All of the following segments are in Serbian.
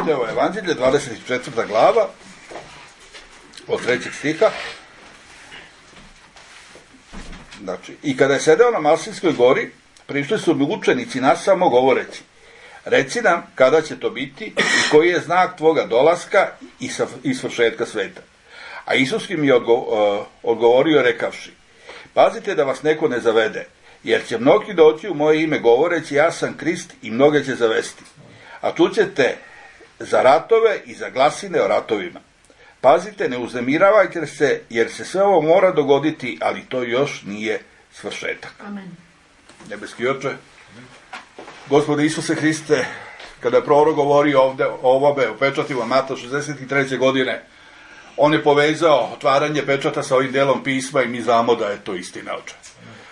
Matejevo evanđelje, 24. glava, od 3. stiha. Znači, i kada je sedeo na Maslинskoj gori, prišli su mi učenici nasamo govoreći: reci nam kada će to biti i koji je znak tvoga dolaska i svršetka sveta. A Isus im je odgovorio rekavši: pazite da vas neko ne zavede, jer će mnogi doći u moje ime govoreći ja sam Krist i mnoge će zavesti. A čućete za ratove i za glasine o ratovima. Pazite, ne uznemiravajte se, jer se sve ovo mora dogoditi, ali to još nije svršetak. Amen. Nebeski Oče, Gospode Isuse Hriste, kada je prorok govorio ovde o ovome, o pečatima Mata 63. godine, on je povezao otvaranje pečata sa ovim delom pisma i mi znamo da je to istina, Oče.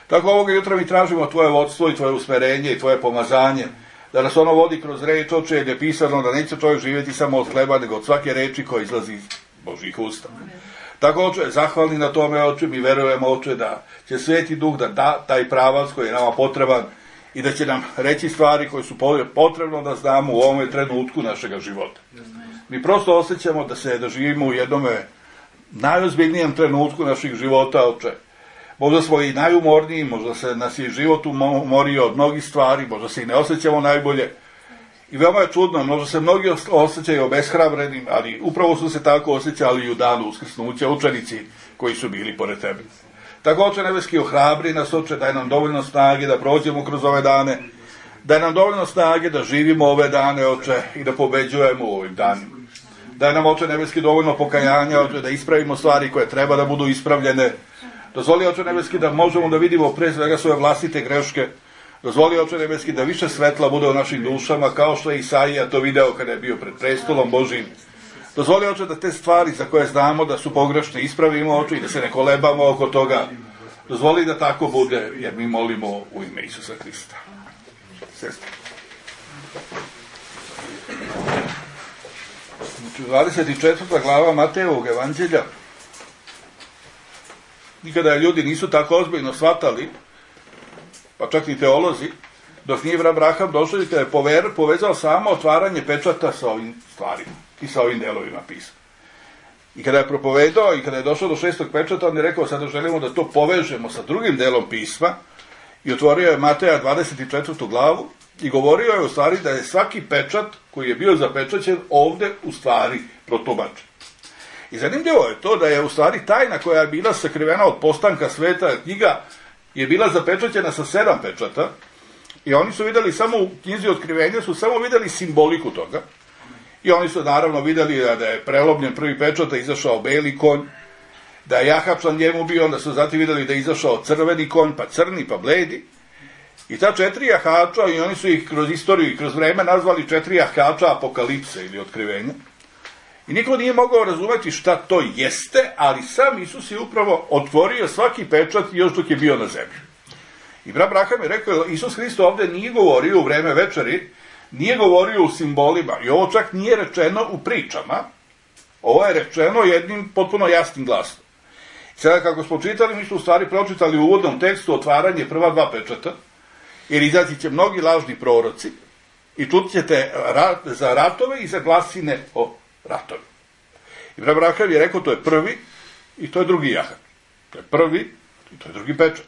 Tako ovoga jutra mi tražimo tvoje vodstvo i tvoje usmerenje i tvoje pomazanje, da nas ono vodi kroz reč, Oče, jer je pisano da neće čovjek živjeti samo od hleba, nego od svake reči koja izlazi iz Božjih usta. Tako, Oče, zahvalni na tome, Oče, mi verujemo, Oče, da će Sveti Duh da da taj pravac koji je nama potreban i da će nam reći stvari koje su potrebno da znamo u ovom trenutku našega života. Mi prosto osjećamo da živimo u jednom najozbiljnijem trenutku naših života, Oče. Možda smo i najumorniji, možda se nas je život umorio od mnogih stvari, možda se i ne osjećamo najbolje. I veoma je čudno, možda se mnogi osjećaju obeshrabrenim, ali upravo su se tako osjećali i u danu uskrsnuća učenici koji su bili pored tebe. Tako, Oče nebeski, ohrabri nas, Oče, daj nam dovoljno snage da prođemo kroz ove dane, daj nam dovoljno snage da živimo ove dane, Oče, i da pobeđujemo u ovim danima. Daj nam, Oče nebeski, dovoljno pokajanja, Oče, da ispravimo stvari koje treba da budu ispravljene. Dozvoli, Oče nebeski, da možemo da vidimo pre svega svoje vlastite greške. Dozvoli, Oče nebeski, da više svetla bude u našim dušama, kao što je Isaija to video kada je bio pred prestolom Božijim. Dozvoli, Oče, da te stvari za koje znamo da su pogrešne ispravimo, Oče, i da se ne kolebamo oko toga. Dozvoli da tako bude, jer mi molimo u ime Isusa Hrista. Sestre. Znači, 24. glava Matejevog evanđelja. Nikada ljudi nisu tako ozbiljno shvatali, pa čak i teolozi, dok nije Abraham došao i kada je povezao samo otvaranje pečata sa ovim stvarima i sa ovim delovima pisma. I kada je propovedao i kada je došao do 6. pečata, on je rekao: sada želimo da to povežemo sa drugim delom pisma, i otvorio je Mateja 24. glavu i govorio je u stvari da je svaki pečat koji je bio zapečaćen ovde u stvari protumačen. I zanimljivo je to da je u stvari tajna koja je bila sakrivena od postanka sveta, knjiga je bila zapečaćena sa 7 pečata, i oni su videli samo u knjizi Otkrivenja, su samo videli simboliku toga, i oni su naravno videli da je prelomljen prvi pečat, da je izašao beli konj, da je jahač na njemu bio, onda su zatim videli da je izašao crveni konj, pa crni, pa bledi, i ta 4 jahača, i oni su ih kroz istoriju i kroz vreme nazvali 4 jahača apokalipse ili otkrivenja. I niko nije mogao razumeti šta to jeste, ali sam Isus je upravo otvorio svaki pečat još dok je bio na zemlji. I Abraham je rekao, Isus Hristo ovde nije govorio u vreme večeri, nije govorio u simbolima, i ovo čak nije rečeno u pričama, ovo je rečeno jednim potpuno jasnim glasom. Sada kako smo čitali, mi smo u stvari pročitali u uvodnom tekstu otvaranje prva 2 pečata, jer izaći će mnogi lažni proroci i čut ćete za ratove i za glasine o ratovi. I Abraham je rekao, to je prvi i to je drugi jahač. To je prvi i to je drugi pečat.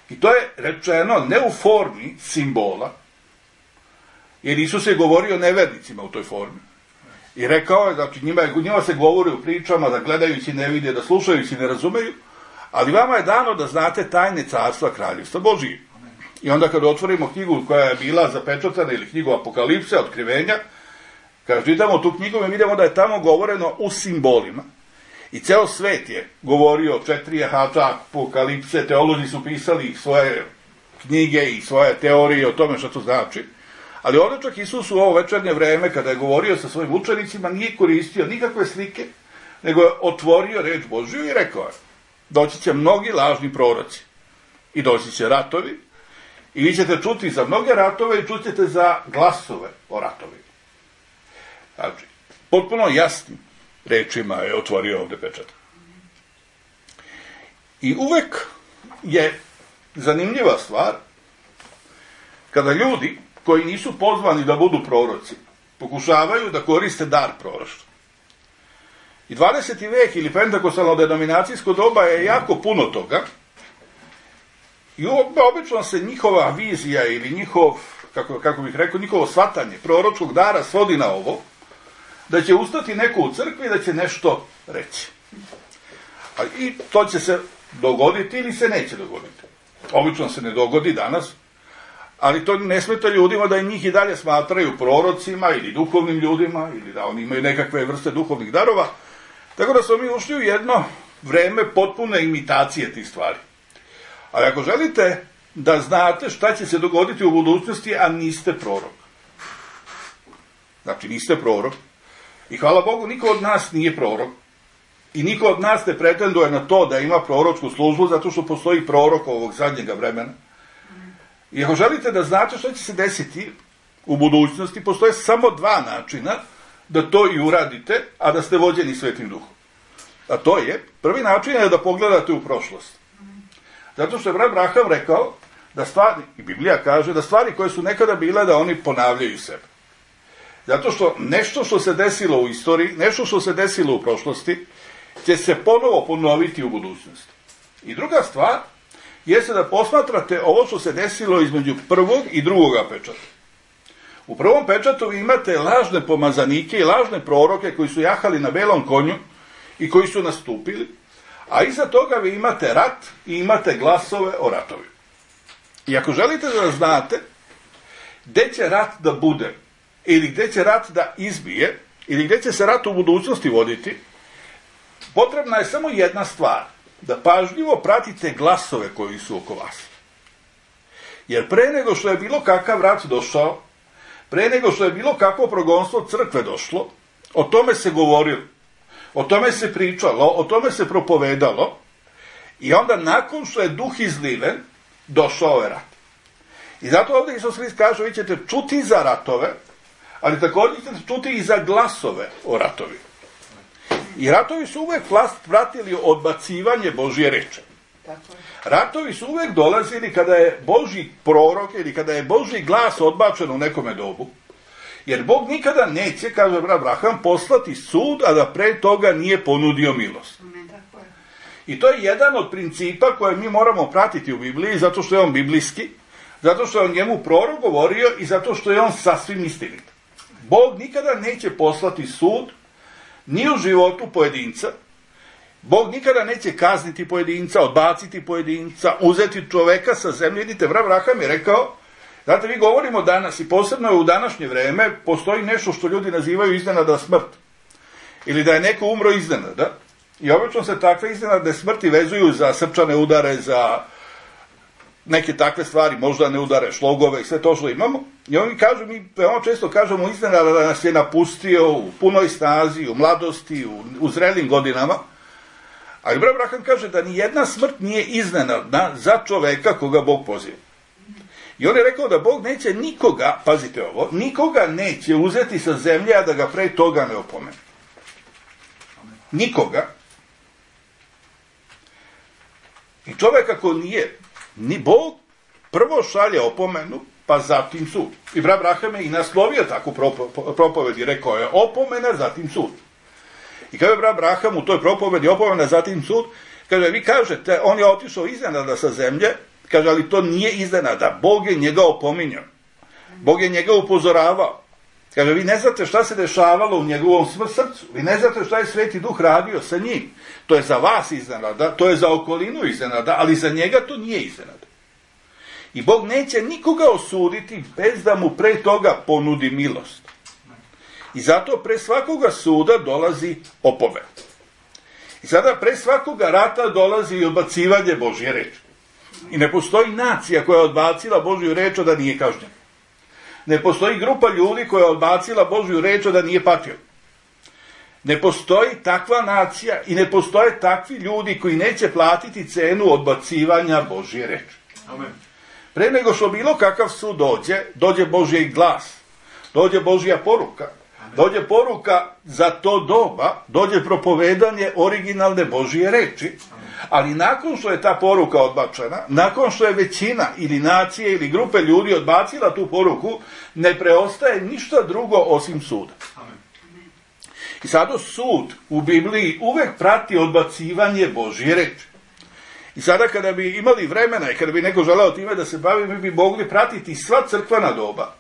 I to je rečeno ne u formi simbola, jer Isus je govorio nevernicima u toj formi. I rekao je, znači njima se govori u pričama, da gledajući ne vide, da slušajući ne razumeju, ali vama je dano da znate tajne carstva kraljevstva Božije. I onda kada otvorimo knjigu koja je bila zapečatana, ili knjigu Apokalipse, Otkrivenja, kada čitamo tu knjigu, mi vidimo da je tamo govoreno u simbolima. I ceo svet je govorio 4 jahača Apokalipse, teolozi su pisali svoje knjige i svoje teorije o tome što to znači. Ali ovdje čak Isus u ovo večernje vreme, kada je govorio sa svojim učenicima, nije koristio nikakve slike, nego je otvorio reč Božju i rekao je: doći će mnogi lažni proroci i doći će ratovi, i vi ćete čuti za mnoge ratove i čućete za glasove o ratovima. Znači, potpuno jasnim rečima je otvorio ovde pečat. I uvek je zanimljiva stvar kada ljudi koji nisu pozvani da budu proroci pokušavaju da koriste dar proroštva. I 20. vek ili pentakostalno denominacijsko doba je jako puno toga i obično se njihova vizija ili kako bih rekao, njihovo shvatanje proročkog dara svodi na ovo, da će ustati neko u crkvi i da će nešto reći. I to će se dogoditi ili se neće dogoditi. Obično se ne dogodi danas, ali to ne smeta ljudima da i njih i dalje smatraju prorocima ili duhovnim ljudima ili da oni imaju nekakve vrste duhovnih darova. Tako da smo mi ušli u jedno vreme potpune imitacije tih stvari. Ali ako želite da znate šta će se dogoditi u budućnosti, a niste prorok. Znači, niste prorok. I hvala Bogu, niko od nas nije prorok. I niko od nas ne pretenduje na to da ima proročku službu, zato što postoji prorok ovog zadnjega vremena. I ako želite da znate šta će se desiti u budućnosti, postoje samo dva načina da to i uradite, a da ste vođeni Svetim Duhom. A to je, prvi način je da pogledate u prošlost. Zato što je brat Braham rekao da stvari, i Biblija kaže, da stvari koje su nekada bile, da oni ponavljaju sebe. Zato što nešto što se desilo u istoriji, nešto što se desilo u prošlosti, će se ponovo ponoviti u budućnosti. I druga stvar, jeste da posmatrate ovo što se desilo između prvog i drugoga pečata. U prvom pečatu vi imate lažne pomazanike i lažne proroke koji su jahali na belom konju i koji su nastupili, a iza toga vi imate rat i imate glasove o ratovi. I ako želite da znate gde će rat da bude, ili gde će rat da izbije, ili gde će se rat u budućnosti voditi, potrebna je samo jedna stvar, da pažljivo pratite glasove koji su oko vas. Jer pre nego što je bilo kakav rat došao, pre nego što je bilo kakvo progonstvo crkve došlo, o tome se govorilo, o tome se pričalo, o tome se propovedalo, i onda nakon što je duh izliven, došao je rat. I zato ovdje Isus Hrist kaže, vi ćete čuti za ratove, ali također ćete čuti i za glasove o ratovi. I ratovi su uvek pratili odbacivanje Božje reči. Ratovi su uvek dolazili kada je Božji prorok ili kada je Božji glas odbačen u nekome dobu. Jer Bog nikada neće, kaže brat Braham, poslati sud, a da pre toga nije ponudio milost. I to je jedan od principa koje mi moramo pratiti u Bibliji, zato što je on biblijski, zato što je on njemu prorok govorio i zato što je on sasvim istinit. Bog nikada neće poslati sud ni u životu pojedinca. Bog nikada neće kazniti pojedinca, odbaciti pojedinca, uzeti čoveka sa zemlje. Vidite, brat Braham je rekao, znate, vi govorimo danas i posebno je u današnje vreme, postoji nešto što ljudi nazivaju iznenada smrt. Ili da je neko umro iznenada. I obično se takve iznenadne smrti vezuju za srčane udare, za neke takve stvari, možda ne udare, šlogove i sve to što imamo. I oni kažu, mi veoma često kažemo iznenada da nas je napustio u punoj snazi, u mladosti, u zrelim godinama. Ali brat Braham kaže da ni jedna smrt nije iznenadna za čoveka koga Bog poziva. I on je rekao da Bog neće nikoga, pazite ovo, nikoga neće uzeti sa zemlje, a da ga pre toga ne opomene. Nikoga. I čovek ako nije, ni Bog prvo šalje opomenu, pa zatim sud. I brat Braham je i naslovio takvu propovedi, rekao je opomena, zatim sud. I kada je brat Braham u toj propovedi opomena, zatim sud, kaže, vi kažete, on je otišao iznenada sa zemlje, kaže, ali to nije iznenada, Bog je njega opominjao, Bog je njega upozoravao. Kaže, vi ne znate šta se dešavalo u njegovom srcu, vi ne znate šta je Sveti Duh radio sa njim. To je za vas iznenada, to je za okolinu iznenada, ali za njega to nije iznenada. I Bog neće nikoga osuditi bez da mu pre toga ponudi milost. I zato pre svakoga suda dolazi opomen. I sada pre svakoga rata dolazi i odbacivanje Božje reči. I ne postoji nacija koja je odbacila Božju reč da nije kažnjena. Ne postoji grupa ljudi koja je odbacila Božju reč da nije patio. Ne postoji takva nacija i ne postoje takvi ljudi koji neće platiti cenu odbacivanja Božje reči. Amen. Pre nego što bilo kakav sud dođe Božji glas, dođe Božja poruka, dođe poruka za to doba, dođe propovedanje originalne Božije reči, ali nakon što je ta poruka odbačena, nakon što je većina ili nacije ili grupe ljudi odbacila tu poruku, ne preostaje ništa drugo osim suda. I sada sud u Bibliji uvek prati odbacivanje Božje reči. I sada kada bi imali vremena i kada bi neko želeo time da se bavi, mi bi mogli pratiti sva crkvena doba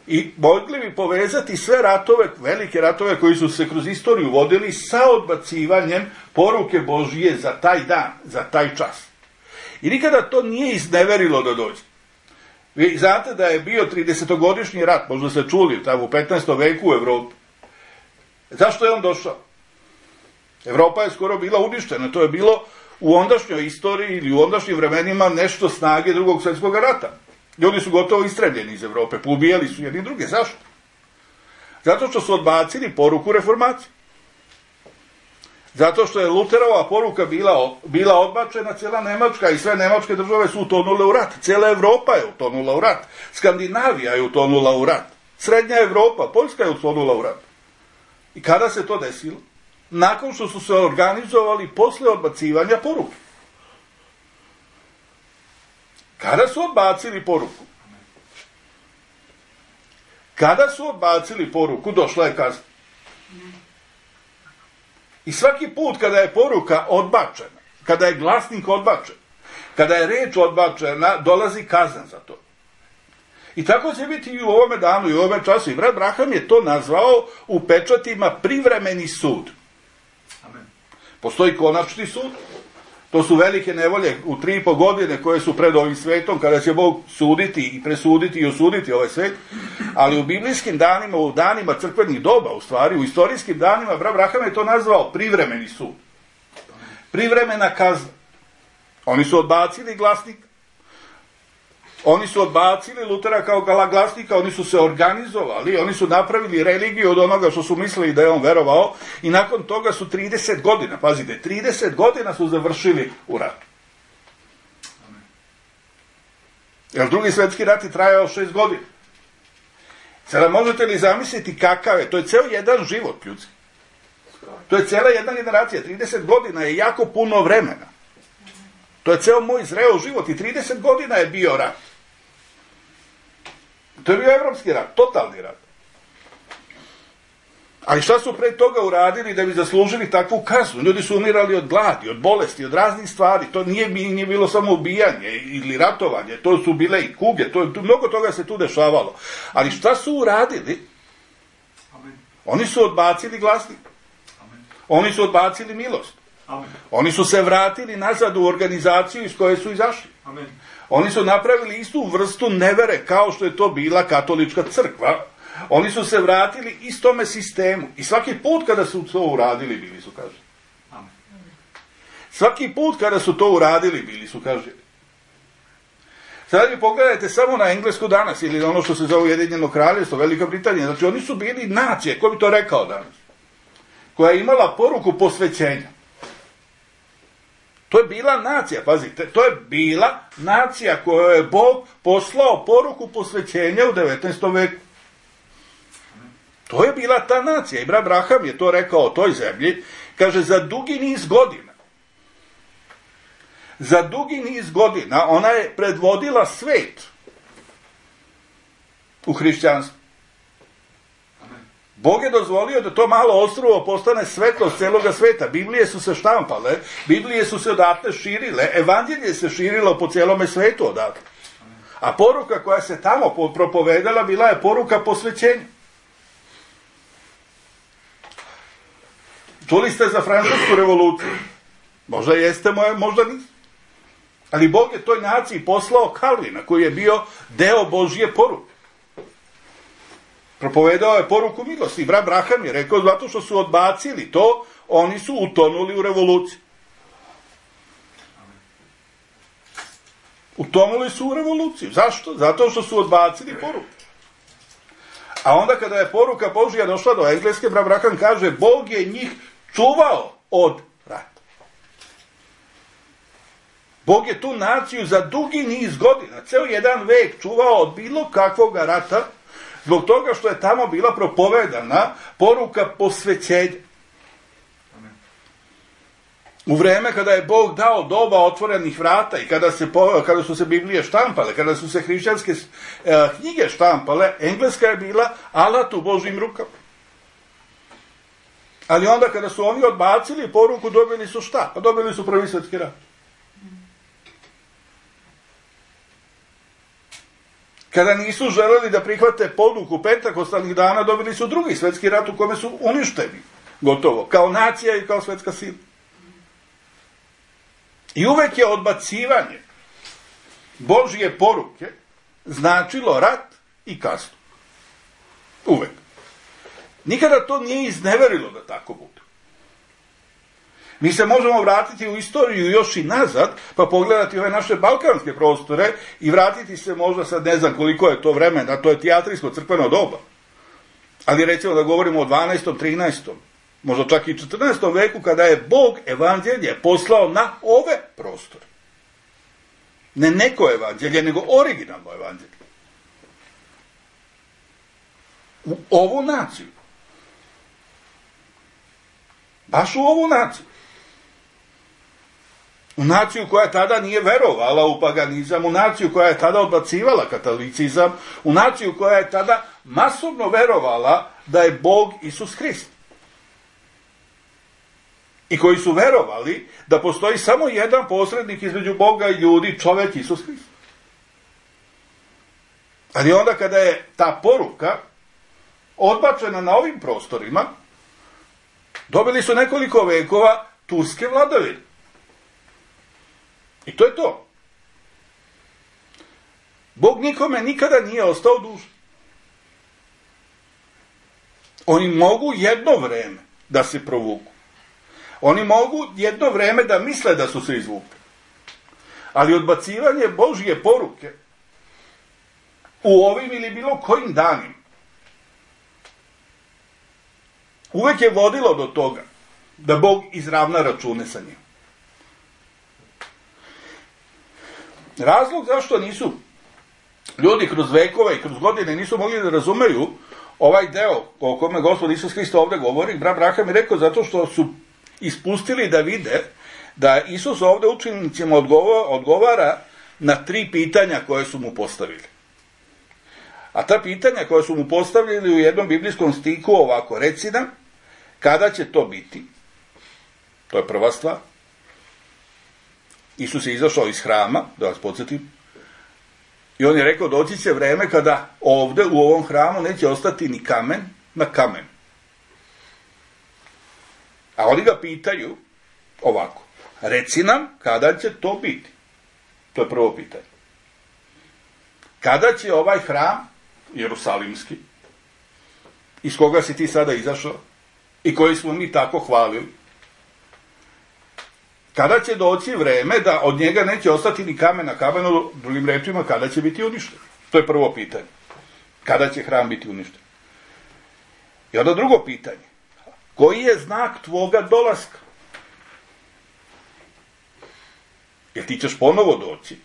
i mogli bi povezati sve ratove, velike ratove koji su se kroz istoriju vodili sa odbacivanjem poruke Božije za taj dan, za taj čas. I nikada to nije izneverilo da dođe. Vi znate da je bio 30-godišnji rat, možda ste čuli, tamo u 15. veku u Evropi. Zašto je on došao? Evropa je skoro bila uništena, to je bilo u ondašnjoj istoriji ili u ondašnjim vremenima nešto snage Drugog svjetskog rata. Ljudi su gotovo istrebljeni iz Evrope, poubijali su jedni druge. Zašto? Zato što su odbacili poruku reformacije. Zato što je Luterova poruka bila odbačena, cijela Nemačka i sve nemačke države su utonule u rat. Cijela Evropa je utonula u rat. Skandinavija je utonula u rat. Srednja Evropa, Poljska je utonula u rat. I kada se to desilo? Nakon što su se organizovali posle odbacivanja poruke. Kada su odbacili poruku? Kada su odbacili poruku, došla je kazna. I svaki put kada je poruka odbačena, kada je glasnik odbačen, kada je reč odbačena, dolazi kazna za to. I tako će biti i u ovome danu i u ovome času. I brat Braham je to nazvao u pečatima privremeni sud. Amen. Postoji konačni sud. To su velike nevolje u 3,5 godine koje su pred ovim svetom, kada će Bog suditi i presuditi i osuditi ovaj svet. Ali u biblijskim danima, u danima crkvenih doba, u stvari, u istorijskim danima, brat Braham je to nazvao privremeni sud. Privremena kazna. Oni su odbacili glasnika. Oni su odbacili Lutera kao glasnika, oni su se organizovali, oni su napravili religiju od onoga što su mislili da je on verovao i nakon toga su 30 godina, pazite, 30 godina su završili u ratu. Jer Drugi svjetski rat je trajao 6 godina. Sada možete li zamisliti kakav je, to je ceo jedan život ljudski. To je cela jedna generacija, 30 godina je jako puno vremena. To je ceo moj zreo život i 30 godina je bio rat. To je bio evropski rat, totalni rat. Ali šta su pre toga uradili da bi zaslužili takvu kaznu? Ljudi su umirali od gladi, od bolesti, od raznih stvari. To nije bilo samo ubijanje ili ratovanje, to su bile i kuge, mnogo toga se tu dešavalo. Ali šta su uradili? Oni su odbacili glasnik. Oni su odbacili milost. Amen. Oni su se vratili nazad u organizaciju iz koje su izašli. Amen. Oni su napravili istu vrstu nevere kao što je to bila katolička crkva. Oni su se vratili istome sistemu. I svaki put kada su to uradili, bili su kažnjeni. Amen. Svaki put kada su to uradili, bili su kažnjeni. Sada vi pogledajte samo na Englesku danas, ili ono što se zove Ujedinjeno kraljevstvo, Velika Britanija. Znači oni su bili nacije, ko bi to rekao danas, koja je imala poruku posvećenja. To je bila nacija, pazite, to je bila nacija kojoj je Bog poslao poruku posvećenja u 19. veku. To je bila ta nacija. I brat Braham je to rekao o toj zemlji. Kaže, za dugi niz godina ona je predvodila svet u hrišćanstvu. Bog je dozvolio da to malo ostrvo postane svetlost celoga sveta. Biblije su se štampale, Biblije su se odatle širile, evanđelje se širilo po celome svetu odatle. A poruka koja se tamo propovedala bila je poruka posvećenja. Čuli ste za Francusku revoluciju? Možda jeste, možda niste. Ali Bog je toj naciji poslao Kalvina, koji je bio deo Božje poruke. Propovedao je poruku milosti. Brat Braham je rekao, zato što su odbacili to, oni su utonuli u revoluciju. Utonuli su u revoluciju. Zašto? Zato što su odbacili poruku. A onda kada je poruka Božja došla do Engleske, brat Braham kaže, Bog je njih čuvao od rata. Bog je tu naciju za dugi niz godina, ceo jedan vek čuvao od bilo kakvog rata, Zbog toga što je tamo bila propovedana poruka posvećenja. U vreme kada je Bog dao doba otvorenih vrata i kada su se Biblije štampale, kada su se hrišćanske knjige štampale, engleska je bila alat u Božjim rukama. Ali onda kada su oni odbacili poruku, dobili su šta? Pa dobili su Prvi svjetski rat. Kada nisu želeli da prihvate poduku pentakostalnih dana, dobili su Drugi svjetski rat u kome su uništeni. Gotovo. Kao nacija i kao svjetska sila. I uvek je odbacivanje Božje poruke značilo rat i kaznu. Uvek. Nikada to nije izneverilo da tako bude. Mi se možemo vratiti u istoriju još i nazad, pa pogledati ove naše balkanske prostore i vratiti se možda sad ne znam koliko je to vremena, to je tijatrijsko crkveno doba. Ali recimo da govorimo o 12. 13. možda čak i 14. veku, kada je Bog evanđelje poslao na ove prostore. Ne neko evanđelje, nego originalno evanđelje. U ovu naciju. Baš u ovu naciju. U naciju koja tada nije verovala u paganizam, u naciju koja je tada odbacivala katolicizam, u naciju koja je tada masovno verovala da je Bog Isus Hrist. I koji su verovali da postoji samo jedan posrednik između Boga i ljudi, čovjek Isus Hrist. Ali onda kada je ta poruka odbačena na ovim prostorima, dobili su nekoliko vekova turske vladavine. I to je to. Bog nikome nikada nije ostao dužan. Oni mogu jedno vreme da se provuku. Oni mogu jedno vreme da misle da su se izvukli. Ali odbacivanje Božje poruke u ovim ili bilo kojim danima uvek je vodilo do toga da Bog izravna račune sa njim. Razlog zašto nisu ljudi kroz vekove i kroz godine nisu mogli da razumeju ovaj deo o kome Gospod Isus Hrist ovdje govori, brat Braham je rekao zato što su ispustili da vide da Isus ovdje učenicima odgovara na 3 pitanja koje su mu postavili. A ta pitanja koja su mu postavili u jednom biblijskom stiku ovako, reci nam, kada će to biti? To je prva stvar. Isus je izašao iz hrama, da vas podsjetim, i on je rekao, doći će vreme kada ovdje u ovom hramu neće ostati ni kamen na kamen. A oni ga pitaju ovako, reci nam kada će to biti? To je prvo pitanje. Kada će ovaj hram, jerusalimski, iz koga si ti sada izašao i koji smo mi tako hvalili, kada će doći vreme da od njega neće ostati ni kamen na kamenu, drugim rečima, kada će biti uništen? To je prvo pitanje. Kada će hram biti uništen? I onda drugo pitanje. Koji je znak tvoga dolaska? Jer ti ćeš ponovo doći.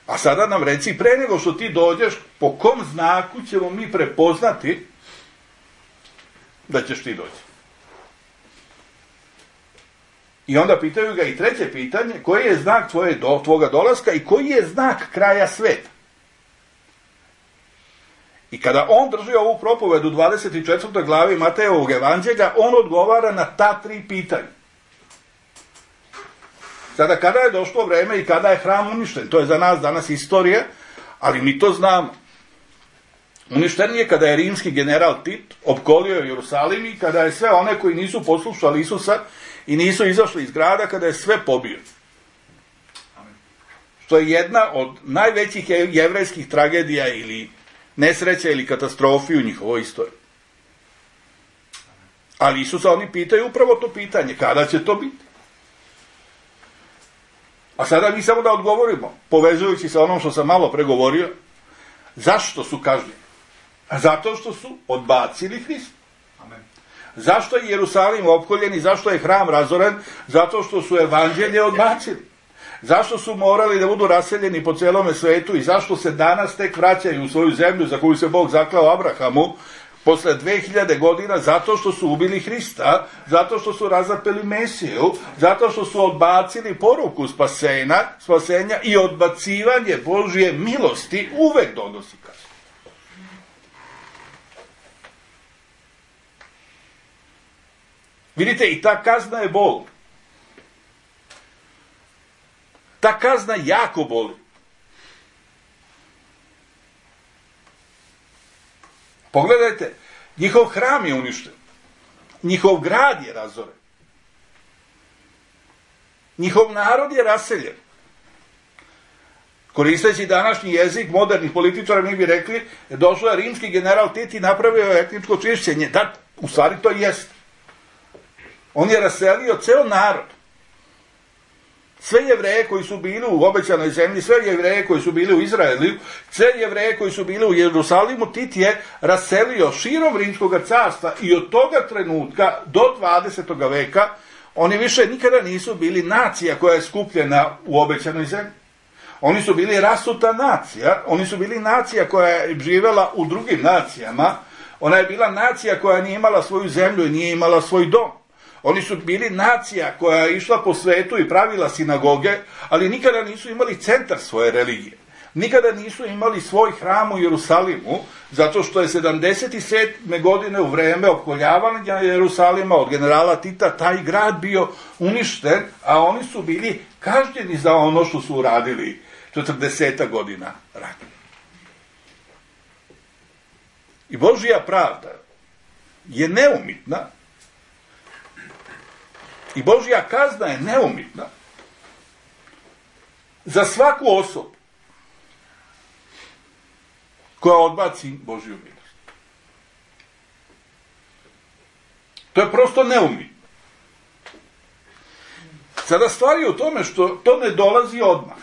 A sada nam reci, pre nego što ti dođeš, po kom znaku ćemo mi prepoznati da ćeš ti doći? I onda pitaju ga i treće pitanje, koji je znak tvoga dolaska i koji je znak kraja sveta? I kada on drži ovu propovedu u 24. glavi Matejevog evanđelja, on odgovara na ta 3 pitanja. Sada, kada je došlo vreme i kada je hram uništen? To je za nas danas istorija, ali mi to znamo. Uništen je kada je rimski general Tit opkolio Jerusalim i kada je sve one koji nisu poslušali Isusa i nisu izašli iz grada, kada je sve pobio. Što je jedna od najvećih jevrejskih tragedija ili nesreća ili katastrofi u njihovoj istoriji. Ali Isusa oni pitaju upravo to pitanje, kada će to biti? A sada mi samo da odgovorimo, povezujući sa onom što sam malo pregovorio, zašto su kažnjeni? Zato što su odbacili Hrista. Amen. Zašto je Jerusalim opkoljen i zašto je hram razoren? Zato što su evanđelje odbacili. Zašto su morali da budu raseljeni po celome svetu i zašto se danas tek vraćaju u svoju zemlju za koju se Bog zaklao Abrahamu posle 2000 godina? Zato što su ubili Hrista, zato što su razapeli Mesiju, zato što su odbacili poruku spasenja i odbacivanje Božje milosti uvek donosi kaznu. Vidite, i ta kazna je bol. Ta kazna jako boli. Pogledajte, njihov hram je uništen. Njihov grad je razoren. Njihov narod je raseljen. Koristeći današnji jezik modernih političara, mi bi rekli, došao je rimski general Tit i napravio je etničko čišćenje. Da, u stvari to jeste. On je raselio ceo narod. Sve Jevreje koji su bili u obećanoj zemlji, sve Jevreje koji su bili u Izraelu, sve Jevreje koji su bili u Jerusalimu, Tit je raselio širom Rimskog carstva i od toga trenutka do 20. veka oni više nikada nisu bili nacija koja je skupljena u obećanoj zemlji. Oni su bili rasuta nacija, oni su bili nacija koja je živela u drugim nacijama, ona je bila nacija koja nije imala svoju zemlju i nije imala svoj dom. Oni su bili nacija koja je išla po svetu i pravila sinagoge, ali nikada nisu imali centar svoje religije. Nikada nisu imali svoj hram u Jerusalimu, zato što je 77. godine u vreme opkoljavanja Jerusalima od generala Tita taj grad bio uništen, a oni su bili kažnjeni za ono što su uradili 40 godina ranije. I Božja pravda je neumitna i Božja kazna je neumitna za svaku osobu koja odbaci Božju milost. To je prosto neumitno. Sada stvar je u tome što to ne dolazi odmah.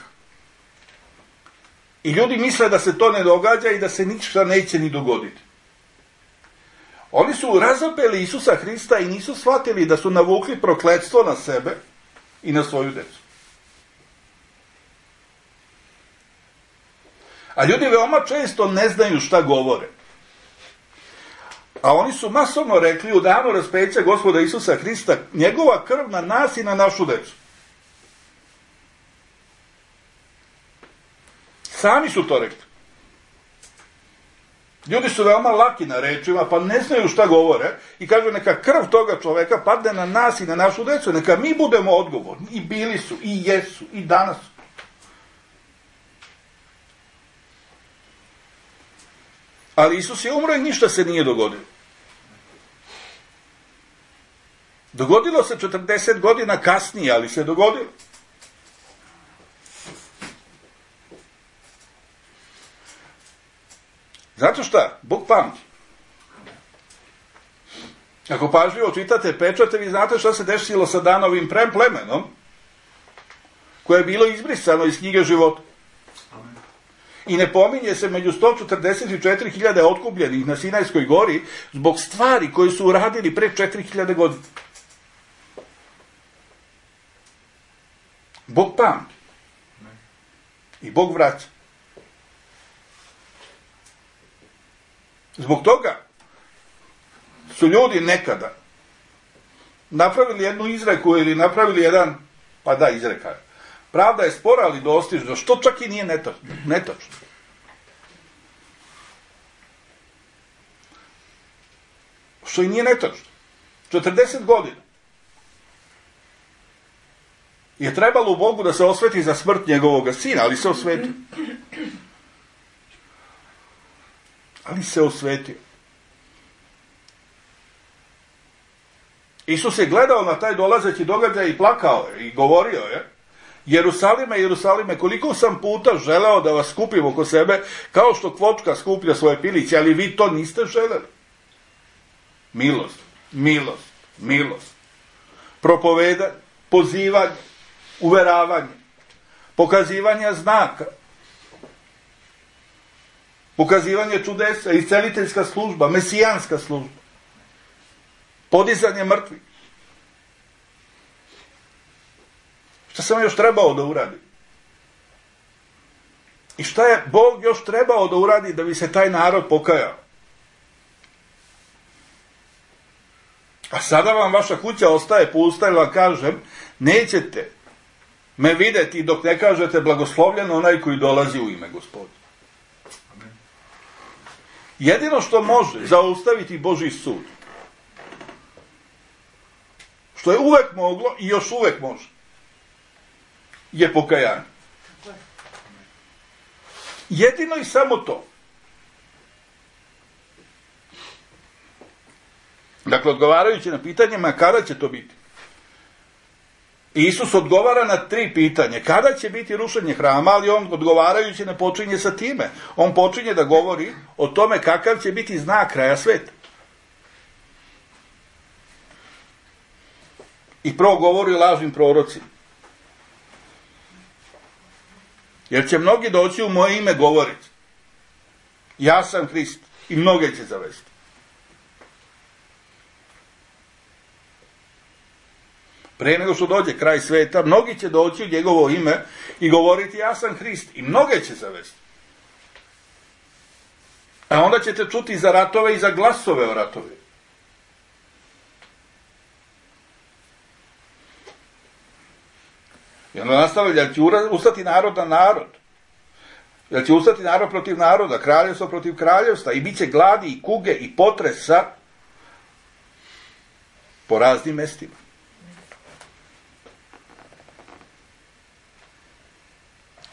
I ljudi misle da se to ne događa i da se ništa neće ni dogoditi. Oni su razapeli Isusa Hrista i nisu shvatili da su navukli prokletstvo na sebe i na svoju decu. A ljudi veoma često ne znaju šta govore. A oni su masovno rekli u danu raspeća Gospoda Isusa Hrista, njegova krv na nas i na našu decu. Sami su to rekli. Ljudi su veoma laki na rečima, pa ne znaju šta govore i kažu neka krv toga čoveka padne na nas i na našu decu, neka mi budemo odgovorni. I bili su, i jesu, i danas su. Ali Isus je umro i ništa se nije dogodilo. Dogodilo se 40 godina kasnije, ali se dogodilo. Zato šta? Bog pamti. Ako pažljivo čitate pečate, vi znate šta se desilo sa Danovim plemenom, koje je bilo izbrisano iz knjige života. I ne pominje se među 144.000 otkupljenih na Sinajskoj gori zbog stvari koje su uradili pre 4.000 godina. Bog pamti. I Bog vraća. Zbog toga su ljudi nekada napravili jednu izreku ili napravili jedan, pa da, izreka. Pravda je spora, ali dostižna, što čak i nije netočno. Što i nije netočno. 40 godina je trebalo u Bogu da se osveti za smrt njegovog sina, ali se osvetio. Ali se osvetio. Isus je gledao na taj dolazeći događaj i plakao je i govorio je: Jerusalime, Jerusalime, koliko sam puta želeo da vas skupim oko sebe, kao što kvočka skuplja svoje piliće, ali vi to niste želeli. Milost, milost, milost. Propovedanje, pozivanje, uveravanje, pokazivanje znaka, pokazivanje čudesa, isceliteljska služba, mesijanska služba, podizanje mrtvih. Šta sam još trebao da uradim? I šta je Bog još trebao da uradi da bi se taj narod pokajao? A sada vam vaša kuća ostaje pusta i vam kažem, nećete me vidjeti dok ne kažete blagoslovljen onaj koji dolazi u ime Gospoda. Jedino što može zaustaviti Božji sud, što je uvek moglo i još uvek može, je pokajanje. Jedino i samo to. Dakle, odgovarajući na pitanjima kada će to biti. Isus odgovara na 3 pitanja. Kada će biti rušenje hrama, ali on odgovarajući ne počinje sa time. On počinje da govori o tome kakav će biti znak kraja sveta. I prvo govori o lažnim prorocima. Jer će mnogi doći u moje ime govoriti. Ja sam Hrist. I mnoge će zavesti. Pre nego što dođe kraj sveta, mnogi će doći u njegovo ime i govoriti ja sam Hrist. I mnoge će zavesti. A onda ćete čuti za ratove i za glasove o ratove. I onda nastavlja, jer će ustati narod na narod. Jer će ustati narod protiv naroda, kraljevstvo protiv kraljevstva. I bit će gladi i kuge i potresa po raznim mestima.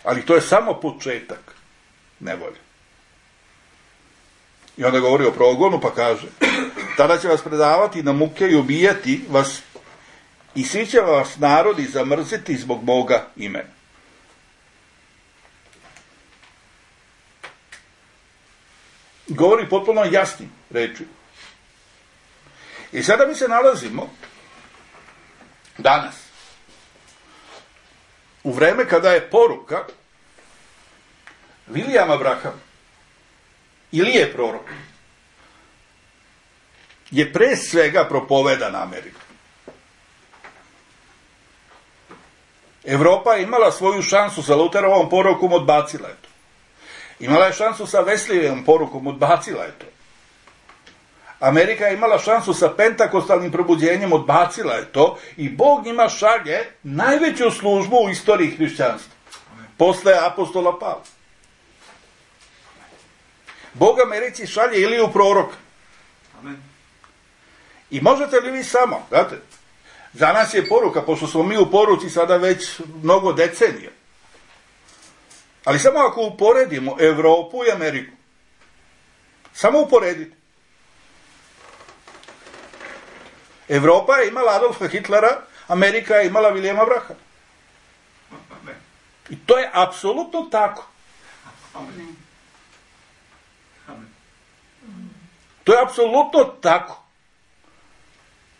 Ali to je samo početak nevolje. I onda govori o progonu, pa kaže, tada će vas predavati na muke i ubijati vas i svi će vas narodi zamrziti zbog moga imena. Govori potpuno jasnim reči. I sada mi se nalazimo danas u vreme kada je poruka Vilijama Brahama, Ilije prorok, je pre svega propovedana Amerika. Evropa je imala svoju šansu sa Luterovom porukom, odbacila je to. Imala je šansu sa Wesleyevom porukom, odbacila je to. Amerika je imala šansu sa pentakostalnim probuđenjem, odbacila je to i Bog njima šalje najveću službu u istoriji hrišćanstva. Posle apostola Pavla. Bog Americi šalje Iliju proroka. I možete li vi samo, znate, za nas je poruka, pošto smo mi u poruci sada već mnogo decenija. Ali samo ako uporedimo Evropu i Ameriku, samo uporedite. Evropa je imala Adolfa Hitlera, Amerika je imala Vilijama Brahama. I to je apsolutno tako. To je apsolutno tako.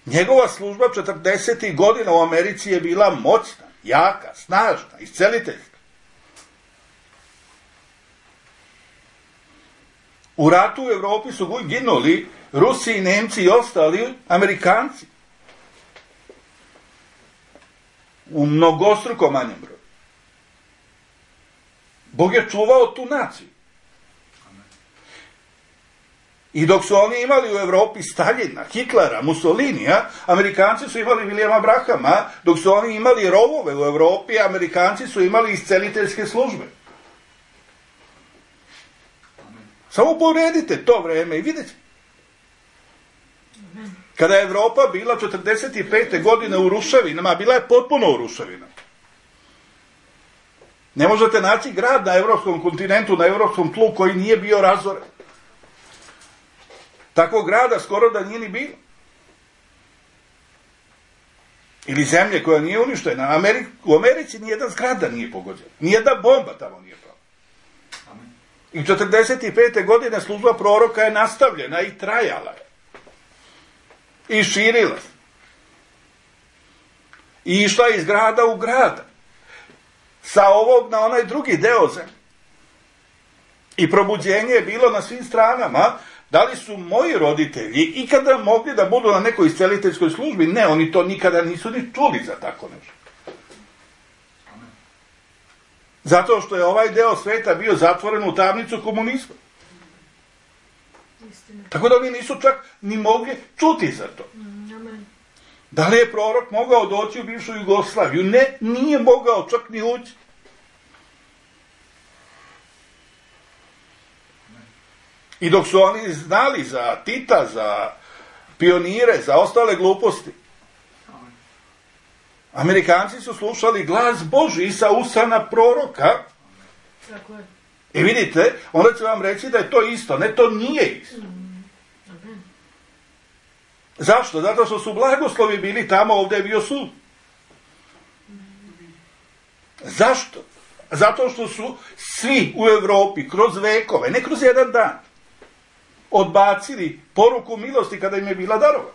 Njegova služba 40. godina u Americi je bila moćna, jaka, snažna, isceliteljska. U ratu u Evropi su ginuli Rusi i Nemci i ostali Amerikanci. U mnogostruko manjem broju. Bog je čuvao tu naciju. I dok su oni imali u Evropi Staljina, Hitlera, Mussolinija, Amerikanci su imali Vilijama Brahama, dok su oni imali rovove u Evropi, Amerikanci su imali isceliteljske službe. Samo poredite to vreme i vidjet ćete. Kada je Evropa bila 45. godine u ruševinama, bila je potpuno u ruševinama. Ne možete naći grad na evropskom kontinentu, na evropskom tlu koji nije bio razoren. Takvog grada skoro da nije ni bilo. Ili zemlje koja nije uništena. U Americi nijedan zgrada nije pogođena. Nijedna bomba tamo nije pala. I 45. godine služba proroka je nastavljena i trajala je. I širila se. I išla iz grada u grada. Sa ovog na onaj drugi deo zemlje. I probuđenje je bilo na svim stranama. Da li su moji roditelji ikada mogli da budu na nekoj isceliteljskoj službi? Ne, oni to nikada nisu ni čuli za tako nešto. Zato što je ovaj deo sveta bio zatvoren u tamnicu komunizma. Tako da oni nisu čak ni mogli čuti za to. Da li je prorok mogao doći u bivšu Jugoslaviju? Ne, nije mogao čak ni ući. I dok su oni znali za Tita, za pionire, za ostale gluposti, Amerikanci su slušali glas Božji sa usana proroka. Tako je. I vidite, onda će vam reći da je to isto. Ne, to nije isto. Zašto? Zato što su blagoslovi bili tamo, ovdje je bio sud. Zašto? Zato što su svi u Evropi kroz vekove, ne kroz jedan dan, odbacili poruku milosti kada im je bila darova.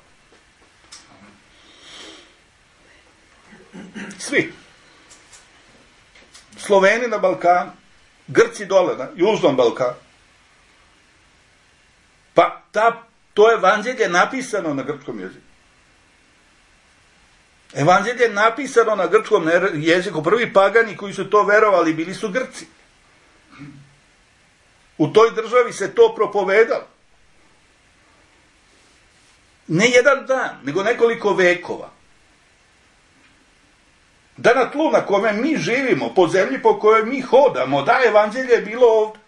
Svi. Sloveni na Balkanu, Grci dole na Južnom Balkanu. Pa to evanđelje je napisano na grčkom jeziku. Evanđelje je napisano na grčkom jeziku. Prvi pagani koji su to verovali bili su Grci. U toj državi se to propovedalo. Ne jedan dan, nego nekoliko vekova. Da na tlu na kome mi živimo, po zemlji po kojoj mi hodamo, da evanđelje je bilo ovdje.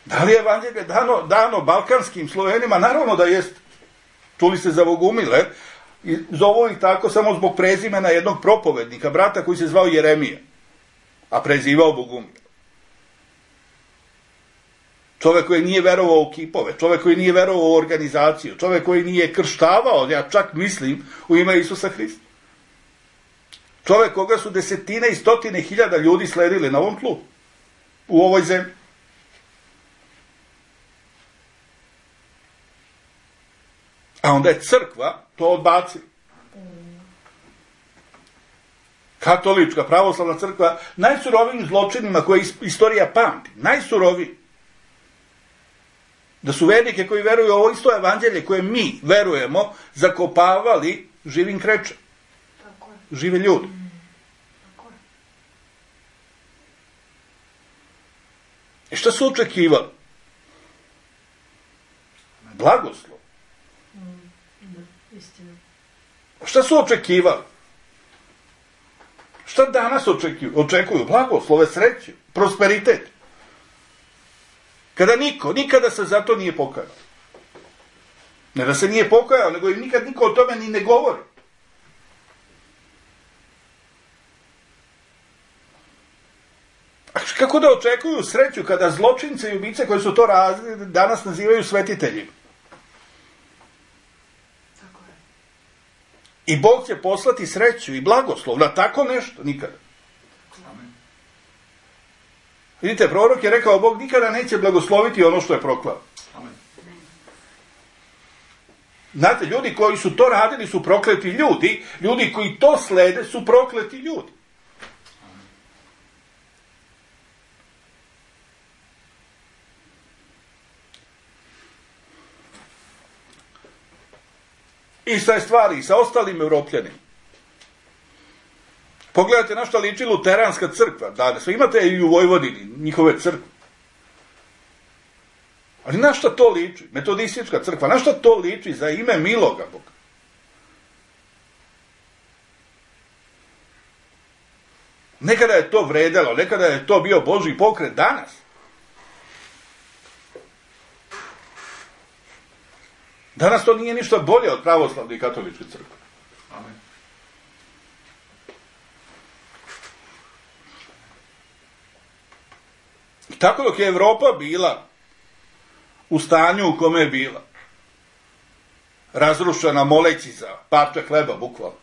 Da li je evanđelje dano balkanskim Slovenima? Naravno da jest. Čuli ste za Bogumile. I zovu ih tako samo zbog prezimena jednog propovednika, brata koji se zvao Jeremija, a prezivao Bogumile. Čovjek koji nije verovao u kipove, čovjek koji nije verovao u organizaciju, čovjek koji nije krštavao, ja čak mislim, u ime Isusa Hrista. Čovjek koga su desetine i stotine hiljada ljudi sledili na ovom tlu, u ovoj zemlji. A onda je crkva to odbacila. Katolička, pravoslavna crkva, najsurovijim zločinima koje istorija pamti, najsuroviji. Da su vernike koji veruju u ovo isto evanđelje koje mi verujemo, zakopavali živim krečem. Žive ljudi. I šta su očekivali? Blagoslov. Šta su očekivali? Šta danas očekuju? Blagoslove, sreću, prosperitet. Kada nikada se za to nije pokajao. Ne da se nije pokajao, nego i nikad niko o tome ni ne govori. A kako da očekuju sreću kada zločince i ubice koji su to radili danas nazivaju svetiteljima? I Bog će poslati sreću i blagoslov na tako nešto nikada. Vidite, prorok je rekao, Bog nikada neće blagosloviti ono što je proklao. Znate, ljudi koji su to radili su prokleti ljudi, ljudi koji to slede su prokleti ljudi. Ista je stvar i sa ostalim Evropljanima. Pogledajte na što liči luteranska crkva danas. Imate i u Vojvodini njihove crkve. Ali na što to liči? Metodistička crkva. Na što to liči za ime miloga Boga? Nekada je to vredelo, nekada je to bio Božji pokret. Danas Danas to nije ništa bolje od pravoslavne i katoličke crkve. Amen. I tako dok je Evropa bila u stanju u kome je bila, razrušena moleći za parče hleba, bukvalno,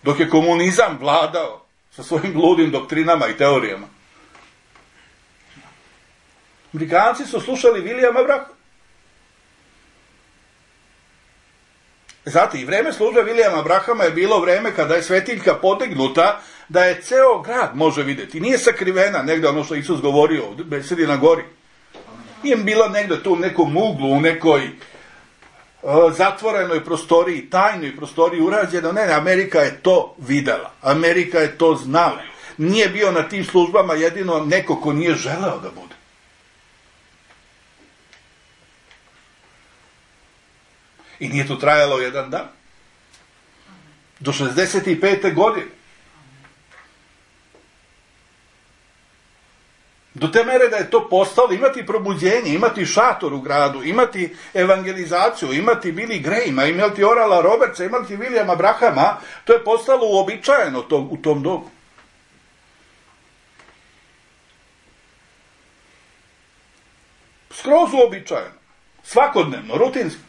dok je komunizam vladao sa svojim ludim doktrinama i teorijama, Amerikanci su slušali Vilijama Brahama. Zato i vreme službe Vilijama Brahama je bilo vreme kada je svetiljka potegnuta da je ceo grad može vidjeti. Nije sakrivena negdje ono što Isus govorio, sedi na gori. Nije bilo negdje tu u nekom uglu, u nekoj zatvorenoj prostoriji, tajnoj prostoriji urađeno. Ne, Amerika je to videla. Amerika je to znala. Nije bio na tim službama jedino neko ko nije želeo da bude. I nije to trajalo jedan dan. Do 65. godine. Do te mere da je to postalo, imati probuđenje, imati šator u gradu, imati evangelizaciju, imati Billy Grahama, imati Orala Robertsa, imati Williama Brahama, to je postalo uobičajeno u tom dobu. Skroz uobičajeno. Svakodnevno, rutinski.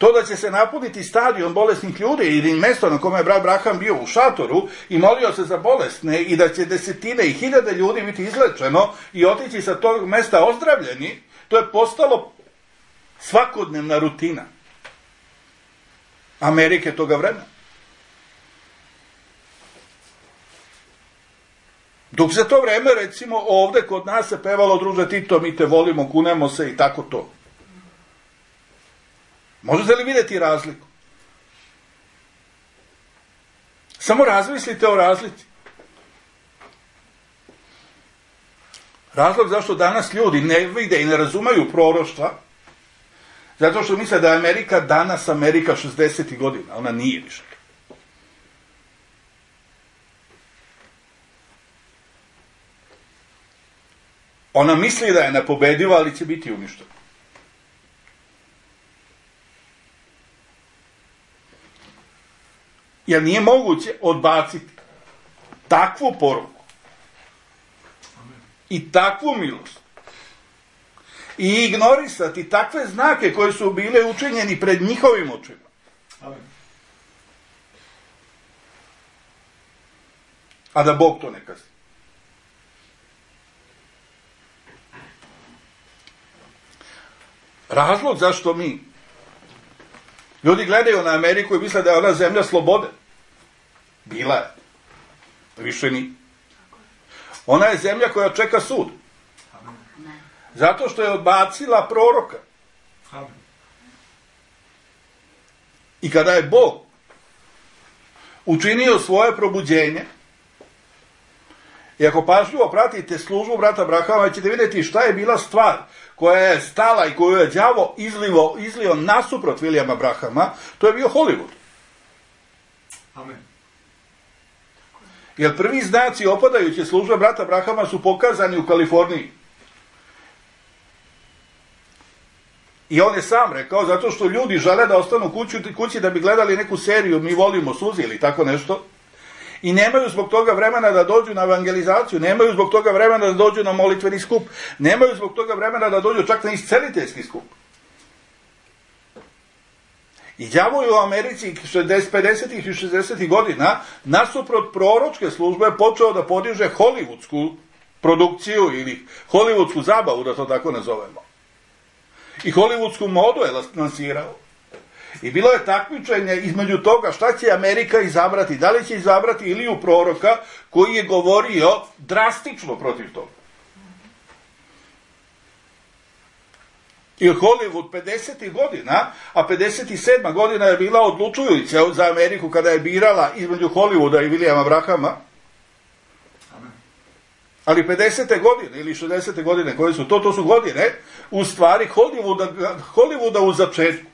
To da će se napuniti stadion bolesnih ljudi ili mjesto na kome je brat Braham bio u šatoru i molio se za bolesne i da će desetine i hiljade ljudi biti izlečeno i otići sa tog mjesta ozdravljeni, to je postalo svakodnevna rutina Amerike toga vremena. Dok za to vreme, recimo, ovdje kod nas se pevalo druže Tito, mi te volimo, kunemo se i tako to. Možete li vidjeti razliku? Samo razmislite o razlici. Razlog zašto danas ljudi ne vide i ne razumaju proroštva, zato što misle da je Amerika danas Amerika 60. godina. Ona nije više. Ona misli da je nepobediva, ali će biti uništena. Jer nije moguće odbaciti takvu poruku i takvu milost i ignorisati takve znake koje su bile učinjeni pred njihovim očima. A da Bog to ne kazni. Razlog zašto ljudi gledaju na Ameriku i misle da je ona zemlja slobode. Bila je. Više ni. Ona je zemlja koja čeka sud. Zato što je odbacila proroka. I kada je Bog učinio svoje probuđenje, i ako pažljivo pratite službu brata Brahama, ćete vidjeti šta je bila stvar koja je stala i koju je đavo izlio nasuprot Williama Brahama, to je bio Hollywood. Amen. Jer prvi znaci opadajuće službe brata Brahama su pokazani u Kaliforniji. I on je sam rekao, zato što ljudi žele da ostanu kući da bi gledali neku seriju Mi volimo suzi ili tako nešto, i nemaju zbog toga vremena da dođu na evangelizaciju, nemaju zbog toga vremena da dođu na molitveni skup, nemaju zbog toga vremena da dođu čak na isceliteljski skup. I đavo je u Americi 50. i 60. godina nasuprot proročke službe počeo da podiže hollywoodsku produkciju ili hollywoodsku zabavu, da to tako nazovemo. I hollywoodsku modu je lansirao. I bilo je takmičenje između toga šta će Amerika izabrati, da li će izabrati Iliju proroka koji je govorio drastično protiv toga. I Hollywood 50. godina, a 57. godina je bila odlučujuća za Ameriku kada je birala između Hollywooda i Williama Brahama. Ali 50. godine ili 60. godine koje su to su godine u stvari Hollywooda u začetku.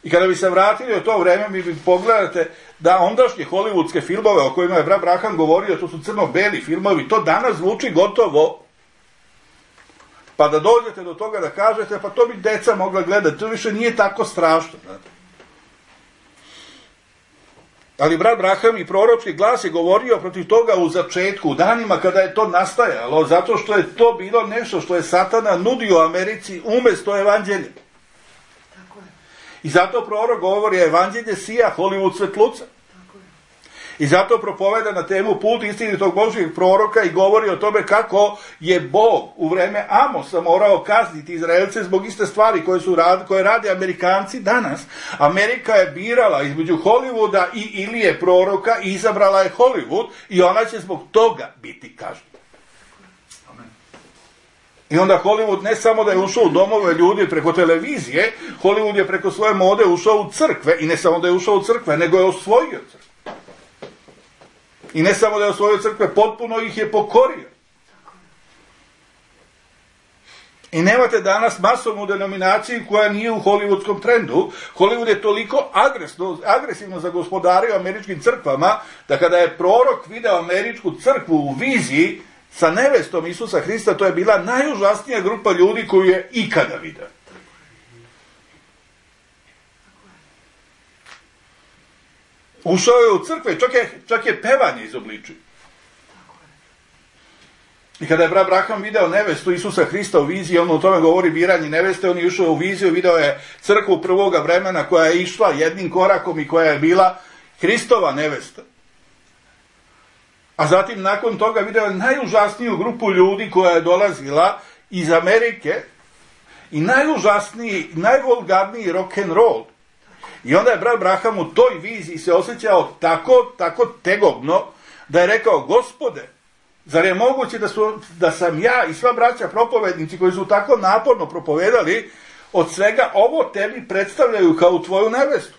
I kada bi se vratili u to vreme, mi bi pogledate da ondašnje hollywoodske filmove o kojima je brat Braham govorio, to su crno-beli filmovi, to danas zvuči gotovo. Pa da dođete do toga da kažete, pa to bi deca mogla gledati, to više nije tako strašno. Ali brat Braham i proročki glas je govorio protiv toga u začetku, u danima kada je to nastajalo, zato što je to bilo nešto što je Satana nudio Americi umjesto evanđelja. I zato prorok govori, evanđelje sija, Hollywood svetluca. I zato propoveda na temu put istinitog Božjeg proroka i govori o tome kako je Bog u vreme Amosa morao kazniti Izraelce zbog iste stvari koje rade Amerikanci danas. Amerika je birala između Hollywooda i Ilije proroka i izabrala je Hollywood i ona će zbog toga biti kažnjena. I onda Hollywood ne samo da je ušao u domove ljudi preko televizije, Hollywood je preko svoje mode ušao u crkve, i ne samo da je ušao u crkve, nego je osvojio crkve. I ne samo da je osvojio crkve, potpuno ih je pokorio. I nemate danas masovnu denominaciju koja nije u hollywoodskom trendu. Hollywood je toliko agresivno zagospodario američkim crkvama, da kada je prorok video američku crkvu u viziji sa nevestom Isusa Hrista, to je bila najužasnija grupa ljudi koju je ikada vidio. Ušao je u crkve, čak je pevanje izobličio. I kada je brat Braham video nevestu Isusa Hrista u viziji, on o tome govori biranje neveste, on je ušao u viziju, video je crkvu prvoga vremena koja je išla jednim korakom i koja je bila Hristova nevesta. A zatim nakon toga video je najužasniju grupu ljudi koja je dolazila iz Amerike i najužasniji, najvulgarniji rock and roll. I onda je brat Braham u toj viziji se osjećao tako tegobno da je rekao: Gospode, zar je moguće da sam ja i sva braća propovednici koji su tako naporno propovedali, od svega ovo tebi predstavljaju kao tvoju nevestu?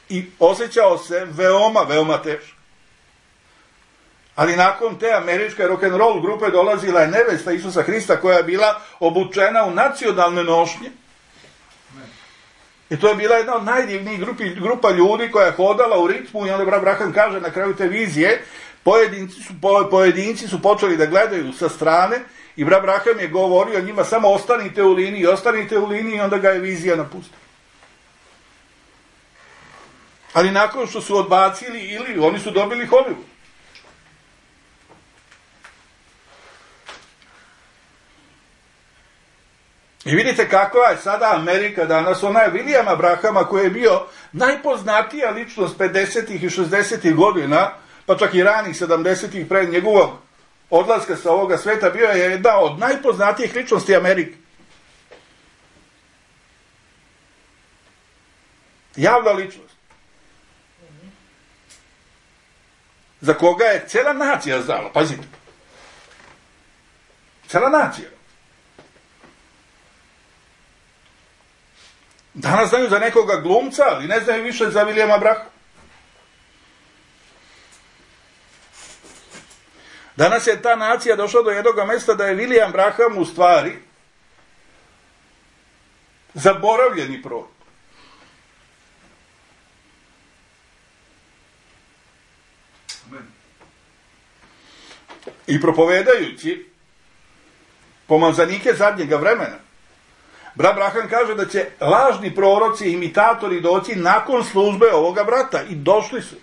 I osjećao se veoma teško. Ali nakon te američke rock'n'roll grupe dolazila je nevesta Isusa Hrista koja je bila obučena u nacionalne nošnje. I to je bila jedna od najdivnijih grupa ljudi koja je hodala u ritmu, i onda brat Braham kaže na kraju te vizije, pojedinci su počeli da gledaju sa strane i brat Braham je govorio njima: samo ostanite u liniji, i onda ga je vizija napustila. Ali nakon što su odbacili, oni su dobili Hollywood. I vidite kakva je sada Amerika danas. Ona je Williama Brahama, koji je bio najpoznatija ličnost 50. i 60. godina, pa čak i ranih 70. pred njegovog odlaska sa ovoga sveta, bio je jedna od najpoznatijih ličnosti Amerike. Javna ličnost. Za koga je cela nacija znala, pazite. Cela nacija. Danas znaju za nekoga glumca, ali ne znaju više za Williama Brahama. Danas je ta nacija došla do jednog mjesta da je William Braham u stvari zaboravljeni prorok. I propovedajući pomazanike zadnjega vremena, brat Braham kaže da će lažni proroci i imitatori doći nakon službe ovoga brata. I došli su.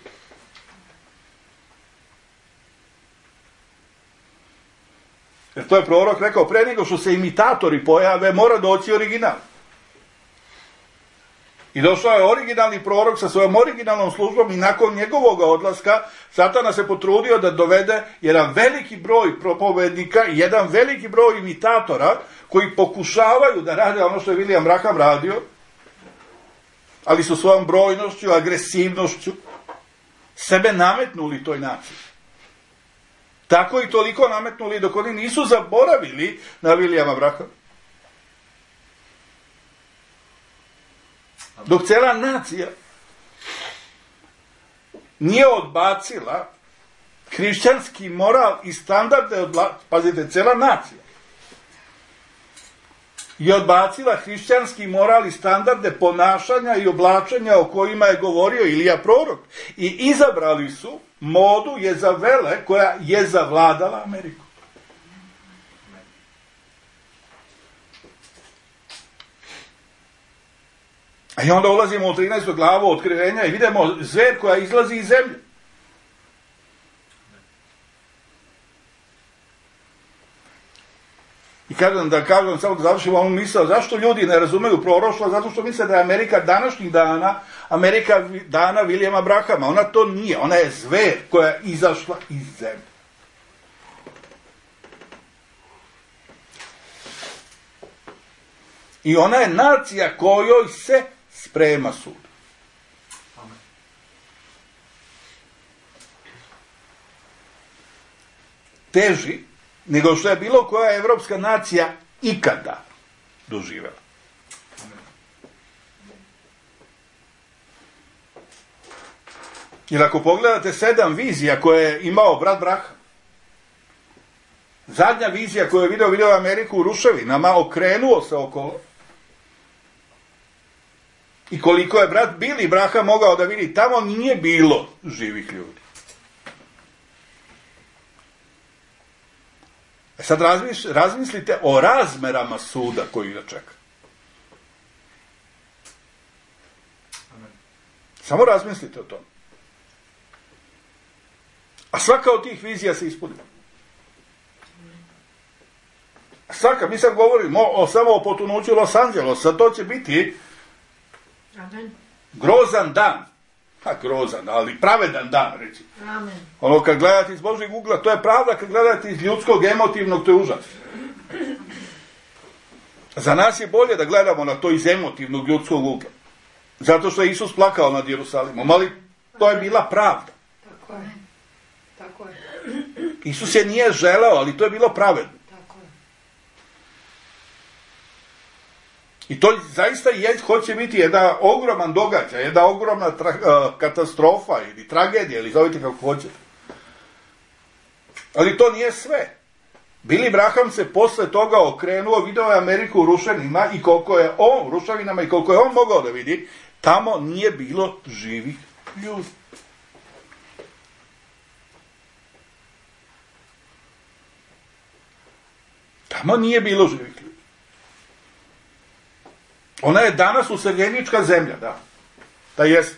Jer to je prorok rekao: pre nego što se imitatori pojave, mora doći original. I došao je originalni prorok sa svojom originalnom službom, i nakon njegovog odlaska Satana se potrudio da dovede jedan veliki broj propovednika i jedan veliki broj imitatora koji pokušavaju da rade ono što je William Braham radio, ali su svojom brojnošću, agresivnošću sebe nametnuli toj naciji. Tako i toliko nametnuli dok oni nisu zaboravili na Williama Brahama. Dok cela nacija nije odbacila hrišćanski moral i standarde, pazite, cela nacija je odbacila hrišćanski moral i standarde ponašanja i oblačenja o kojima je govorio Ilija prorok, i izabrali su modu Jezavele koja je zavladala Ameriku. I onda ulazimo u 13. glavu Otkrivenja i vidimo zver koja izlazi iz zemlje. I kažem, samo da završim ovu misao, zašto ljudi ne razumeju proroštvo? Zato što misle da je Amerika današnjih dana, Amerika dana Williama Brahama. Ona to nije, ona je zver koja je izašla iz zemlje. I ona je nacija kojoj se sprema sud. teži nego što je bilo koja evropska nacija ikada doživjela. Jer ako pogledate 7 vizija koje je imao brat Braham, zadnja vizija koju je video Ameriku u ruševinama, okrenuo se okolo, i koliko je brat Billy Braham mogao da vidi, tamo nije bilo živih ljudi. Sad razmislite o razmerama suda koji ga čeka. Samo razmislite o tom. A svaka od tih vizija se ispuni. Svaka, mi sad govorimo samo o potonuću Los Angelesa, to će biti grozan dan. Grozan, ali pravedan dan, reći. Amen. Ono, kad gledate iz Božjeg ugla, to je pravda, kad gledate iz ljudskog, emotivnog, to je užas. Za nas je bolje da gledamo na to iz emotivnog ljudskog ugla. Zato što je Isus plakao nad Jerusalimom, ali to je bila pravda. Tako je. Tako je. Isus je nije želeo, ali to je bilo pravedno. Tako je. I to zaista hoće biti jedan ogroman događaj, jedna ogromna katastrofa ili tragedija, ili zovite kako hoćete. Ali to nije sve. Billy Braham se posle toga okrenuo, video je Ameriku u ruševinama i koliko je on mogao da vidi, tamo nije bilo živih ljudi. Tamo nije bilo živih ljudi. Ona je danas useljenička zemlja, da jest.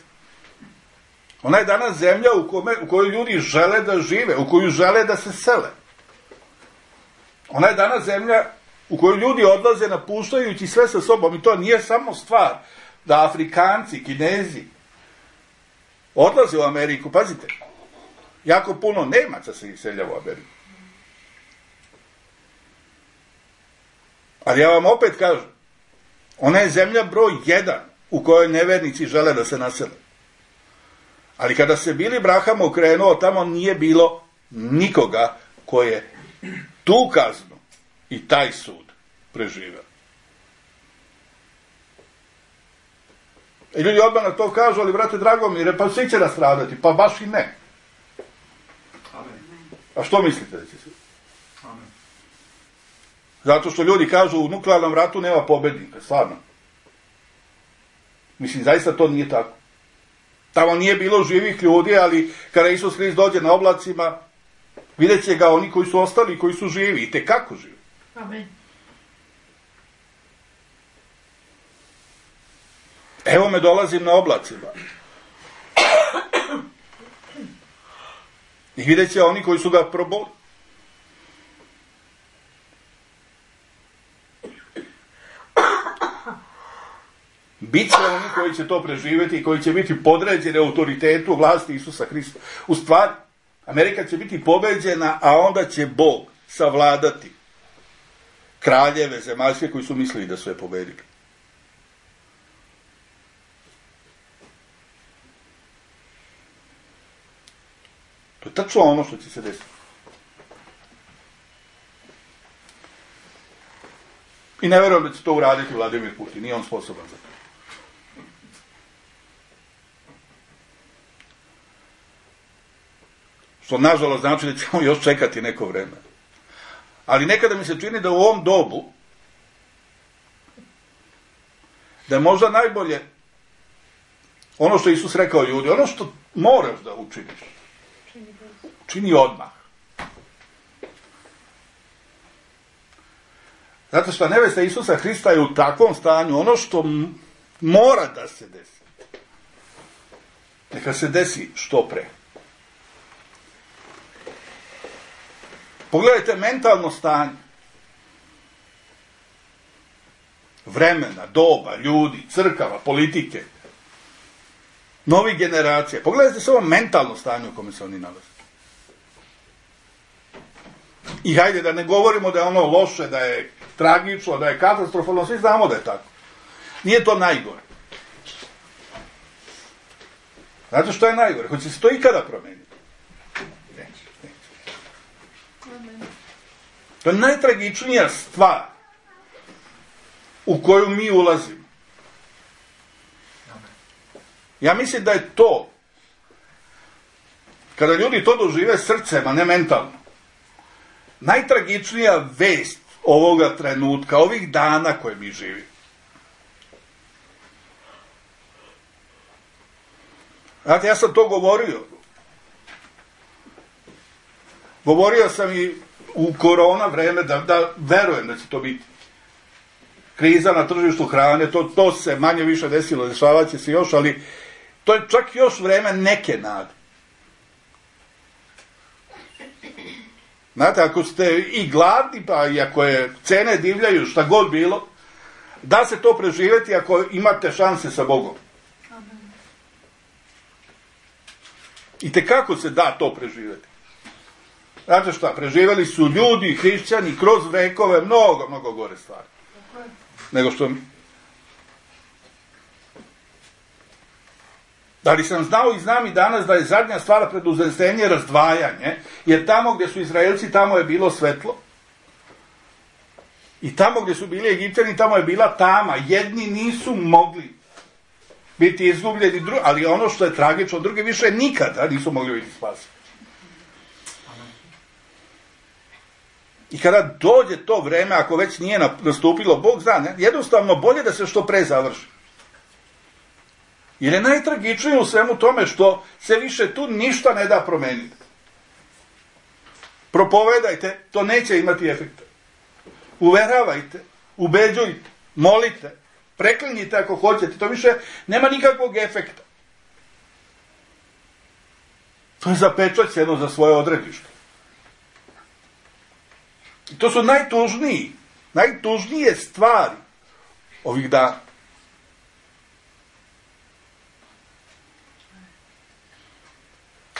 Ona je danas zemlja u kojoj ljudi žele da žive, u koju žele da se sele. Ona je danas zemlja u kojoj ljudi odlaze napuštajući sve sa sobom, i to nije samo stvar da Afrikanci, Kinezi odlaze u Ameriku. Pazite, jako puno Nemaca se iseljava u Ameriku. Ali ja vam opet kažem, ona je zemlja broj 1 u kojoj nevernici žele da se nasele. Ali kada se Billy Braham okrenuo, tamo nije bilo nikoga ko je tu kaznu i taj sud preživeo. I ljudi odmah na to kažu, ali brate Dragomire, pa svi će nastradati, pa baš i ne. A što mislite da će se? Zato što ljudi kažu u nuklearnom ratu nema pobednika, stvarno. Mislim, zaista to nije tako. Tamo nije bilo živih ljudi, ali kada Isus Hrist dođe na oblacima, vidjet će ga oni koji su ostali, koji su živi, i tekako živi. Amen. Evo me, dolazim na oblacima. I vidjet će oni koji su ga proboli. Biće oni koji će to preživjeti i koji će biti podređeni autoritetu vlasti Isusa Hrista. U stvari, Amerika će biti pobeđena, a onda će Bog savladati kraljeve zemaljske koji su mislili da su je pobedili. To je tačno ono što će se desiti. I ne verujem da će to uraditi Vladimir Putin, nije on sposoban za to. Što nažalost znači da ćemo još čekati neko vreme. Ali nekada mi se čini da u ovom dobu da je možda najbolje ono što Isus rekao ljudi, ono što moraš da učiniš, čini odmah. Zato što nevesta Isusa Hrista je u takvom stanju, ono što mora da se desi, neka se desi što pre. Pogledajte mentalno stanje. Vremena, doba, ljudi, crkava, politike, novih generacija. Pogledajte samo mentalno stanje u kome se oni nalaze. I hajde da ne govorimo da je ono loše, da je tragično, da je katastrofalno, svi znamo da je tako. Nije to najgore. Znate što je najgore? Hoće se to ikada promeniti? To je najtragičnija stvar u koju mi ulazimo. Ja mislim da je to, kada ljudi to dožive srcem, a ne mentalno, najtragičnija vest ovoga trenutka, ovih dana koje mi živimo. Znate, ja sam to govorio. Govorio sam i u korona vreme da verujem da će to biti. Kriza na tržištu hrane, to se manje više desilo, dešavaće se još, ali to je čak još vreme neke nade. Znate, ako ste i gladni, pa i ako je cene divljaju, šta god bilo, da se to preživjeti ako imate šanse sa Bogom. I tekako se da to preživjeti. Znate šta, preživjeli su ljudi, hrišćani, kroz vekove, mnogo gore stvari. Nego što mi. Da li sam znao i znam i danas da je zadnja stvar preduzesenje razdvajanje, jer tamo gdje su Izraelci, tamo je bilo svetlo. I tamo gdje su bili Egipćani, tamo je bila tama. Jedni nisu mogli biti izgubljeni, ali ono što je tragično, drugi više nikada nisu mogli biti spaseni. I kada dođe to vreme, ako već nije nastupilo, Bog zna, ne? Jednostavno bolje da se što pre završi. Jer je najtragičnije u svemu tome što se više tu ništa ne da promeniti. Propovedajte, to neće imati efekta. Uveravajte, ubeđujte, molite, preklinjite ako hoćete, to više nema nikakvog efekta. To je zapečaćeno za svoje odredište. I to su najtužnije stvari ovih dana.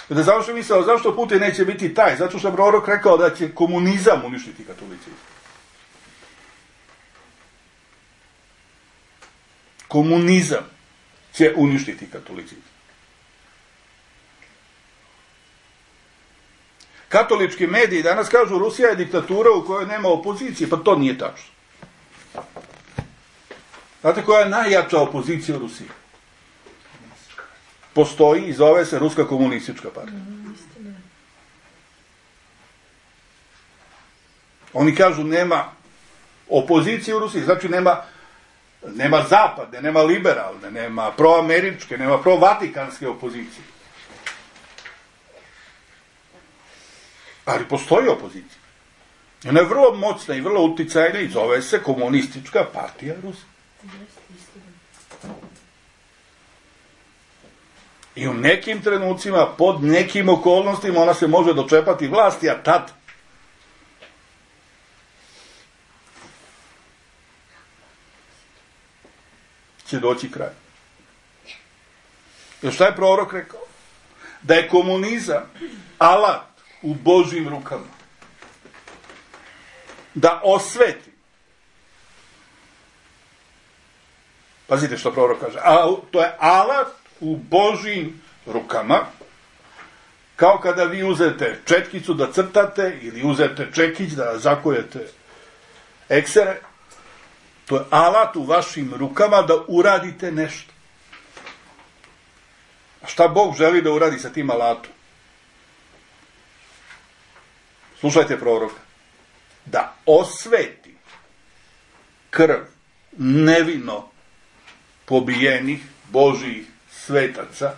Da završim misao, zašto Putin neće biti taj? Zato što je prorok rekao da će komunizam uništiti katolicizam. Komunizam će uništiti katolicizam. Katolički mediji danas kažu Rusija je diktatura u kojoj nema opozicije, pa to nije tačno. Znate koja je najjača opozicija u Rusiji? Postoji i zove se Ruska komunistička partija. Oni kažu nema opozicije u Rusiji, znači nema zapadne, nema liberalne, nema proameričke, nema provatikanske opozicije. Ali postoji opozicija. Ona je vrlo moćna i vrlo uticajna i zove se Komunistička partija Rusije. I u nekim trenucima, pod nekim okolnostima, ona se može dočepati vlasti, a tad će doći kraj. Jer šta je prorok rekao? Da je komunizam alat u Božjim rukama. Da osveti. Pazite što prorok kaže. To je alat u Božjim rukama, kao kada vi uzete četkicu da crtate ili uzete čekić da zakujete eksere. To je alat u vašim rukama da uradite nešto. A šta Bog želi da uradi sa tim alatom? Slušajte proroka. Da osveti krv nevino pobijenih Božjih svetaca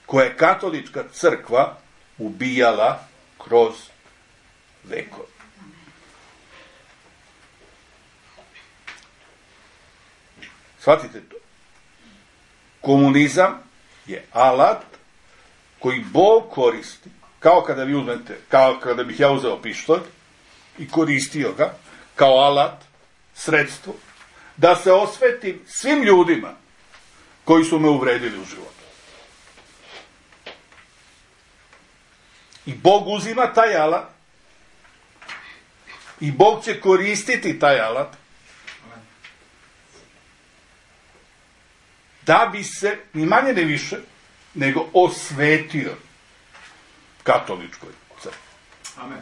koje je katolička crkva ubijala kroz vekove. Shvatite to. Komunizam je alat koji Bog koristi, kao kada vi uzmete, kao kada bih ja uzeo pištolj i koristio ga kao alat, sredstvo, da se osvetim svim ljudima koji su me uvredili u životu. I Bog uzima taj alat i Bog će koristiti taj alat da bi se, ni manje ne više, nego osvetio katoličkoj crkvi. Amen.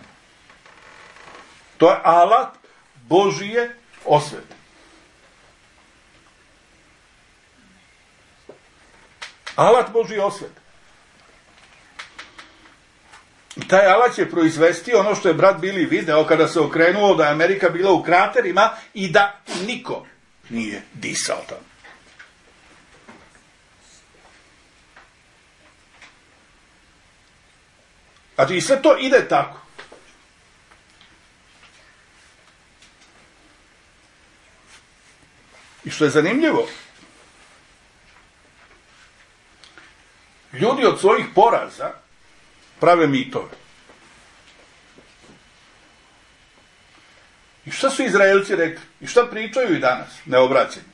To je alat Božije osvete. Alat Božije osvete. I taj alat će proizvesti ono što je brat Bili video kada se okrenuo da je Amerika bila u kraterima i da niko nije disao tamo. Znači, i sve to ide tako. I što je zanimljivo, ljudi od svojih poraza prave mitove. I šta su Izraelci rekli? I šta pričaju i danas, neobraćeni?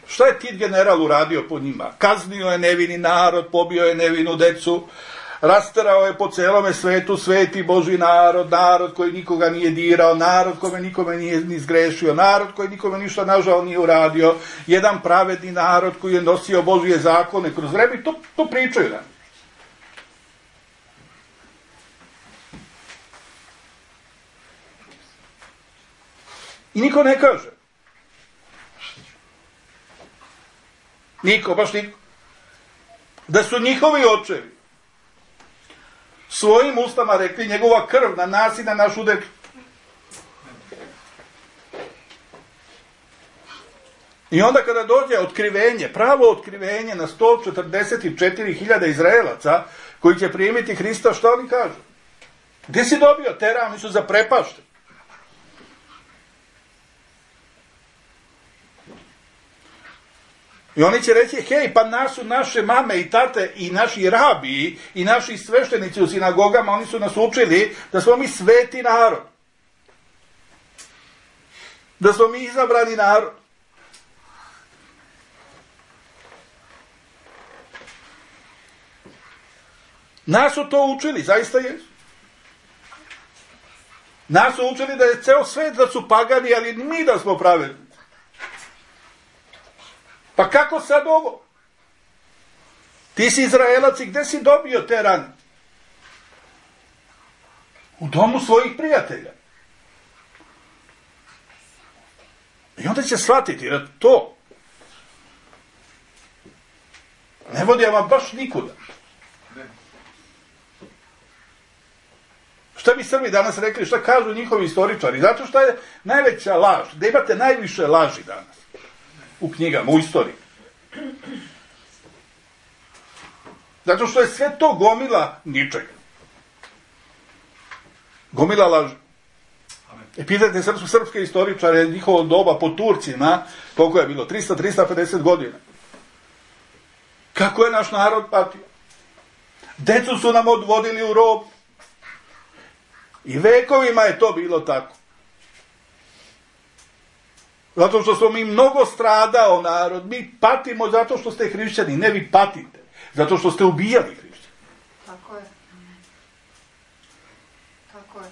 Šta je Tit general uradio po njima? Kaznio je nevini narod, pobio je nevinu decu, rasterao je po celome svetu sveti Božji narod, narod koji nikoga nije dirao, narod kome nikome nije ni zgrešio, narod koji nikome ništa nažal nije uradio, jedan pravedni narod koji je nosio Božje zakone kroz vreme, to pričaju nam. I niko ne kaže. Niko, baš niko. Da su njihovi očevi svojim ustama rekli njegova krv na nas i na našu decu. I onda kada dođe otkrivenje, pravo otkrivenje na 144.000 Izraelaca koji će primiti Hrista, što oni kažu? Gdje si dobio tera? Oni su zaprepašteni. I oni će reći, hej, pa nas su naše mame i tate i naši rabiji i naši sveštenici u sinagogama, oni su nas učili da smo mi sveti narod. Da smo mi izabrani narod. Nas su to učili, zaista jesu. Nas su učili da je ceo svet da su pagani, ali mi da smo pravedni. Pa kako sad ovo? Ti si Izraelac i gde si dobio te rane? U domu svojih prijatelja. I onda će shvatiti da to ne vodi vam baš nikuda. Šta bi Srbi danas rekli, šta kažu njihovi istoričari? Zato što je najveća laž, da imate najviše laži danas u knjigama, u istoriji. Zato što je sve to gomila ničega. Gomila laži. Pitajte srpske istoričare njihovo doba po Turcima, koliko je bilo? 300-350 godina. Kako je naš narod patio? Decu su nam odvodili u rob. I vekovima je to bilo tako. Zato što smo mi mnogo stradao narod. Mi patimo zato što ste hrišćani. Ne, vi patite. Zato što ste ubijali hrišćani. Tako je. Tako je.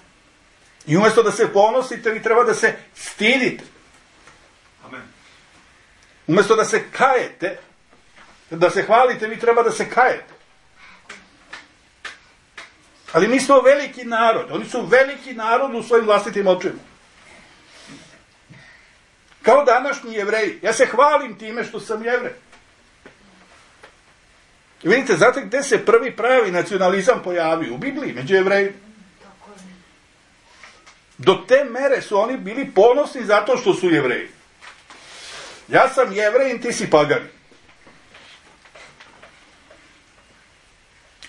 I umjesto da se ponosite, vi treba da se stidite. Amen. Umjesto da se kajete, da se hvalite, vi treba da se kajete. Ali mi smo veliki narod. Oni su veliki narod u svojim vlastitim očima. Kao današnji Jevreji. Ja se hvalim time što sam Jevrej. I vidite, znate gde se prvi pravi nacionalizam pojavio? U Bibliji, među Jevrejima. Do te mere su oni bili ponosni zato što su Jevreji. Ja sam Jevrejin, ti si pagani.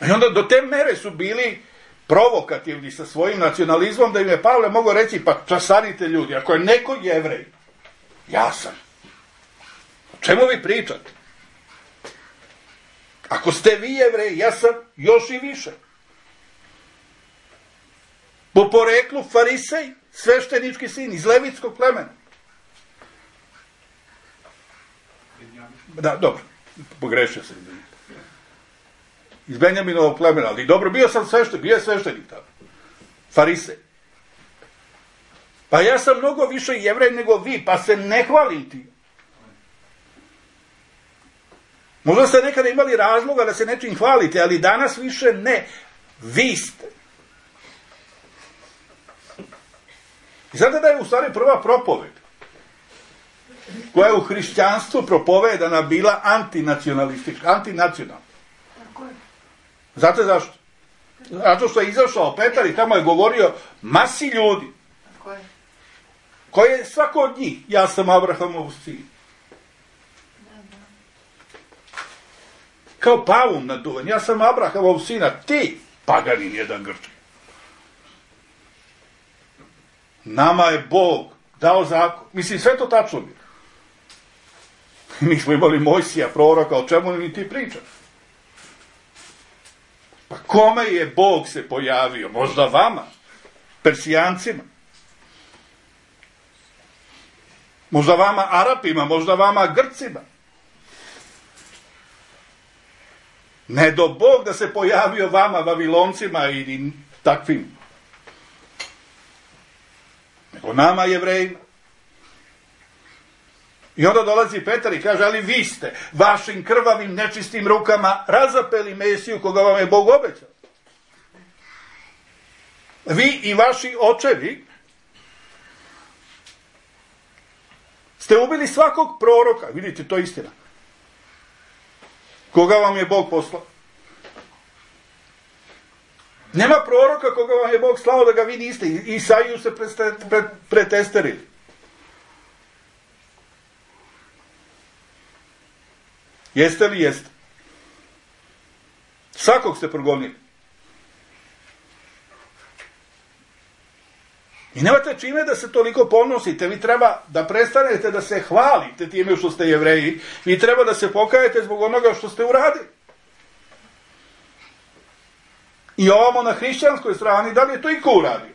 I onda do te mere su bili provokativni sa svojim nacionalizmom da im je Pavle mogao reći, pa časarite ljudi, ako je neko Jevrej, ja sam. O čemu vi pričate? Ako ste vi Jevreji, ja sam još i više. Po poreklu farisej, sveštenički sin iz levitskog plemena. Da, dobro, pogrešio sam. Iz Benjaminovog plemena, ali dobro, bio je sveštenik tamo. Farisej. Pa ja sam mnogo više Jevrej nego vi, pa se ne hvalim ti. Možda ste nekada imali razloga da se nečim hvalite, ali danas više ne. Vi ste. I znate da je u stvari prva propoved koja je u hrišćanstvu propovedana bila antinacionalistička, antinacionalna. Tako je. Znate zašto? Zato što je izašao Petar i tamo je govorio masi ljudi. Tako je. Koji je svako od njih? Ja sam Abrahamov sin. Kao pavum naduvan. Ja sam Abrahamov sina. Ti, paganin jedan Grčki. Nama je Bog dao zakon. Mislim, sve to tačno bi. Mi smo imali Mojsija, proroka, o čemu mi ti pričaš? Pa kome je Bog se pojavio? Možda vama, Persijancima. Možda vama Arapima, možda vama Grcima. Ne do Bog da se pojavio vama, Vaviloncima i takvim. Nego nama, Jevrejima. I onda dolazi Petar i kaže, ali vi ste vašim krvavim nečistim rukama razapeli Mesiju koga vam je Bog obećao. Vi i vaši očevi ste ubili svakog proroka, vidite, to je istina, koga vam je Bog poslao. Nema proroka koga vam je Bog slao da ga vi niste. Isaiju se pretesterili. Jeste li jeste? Svakog ste progonili. I nemate čime da se toliko ponosite. Vi treba da prestanete da se hvalite time što ste Jevreji. Vi treba da se pokajete zbog onoga što ste uradili. I ovamo na hrišćanskoj strani, da li je to iko uradio?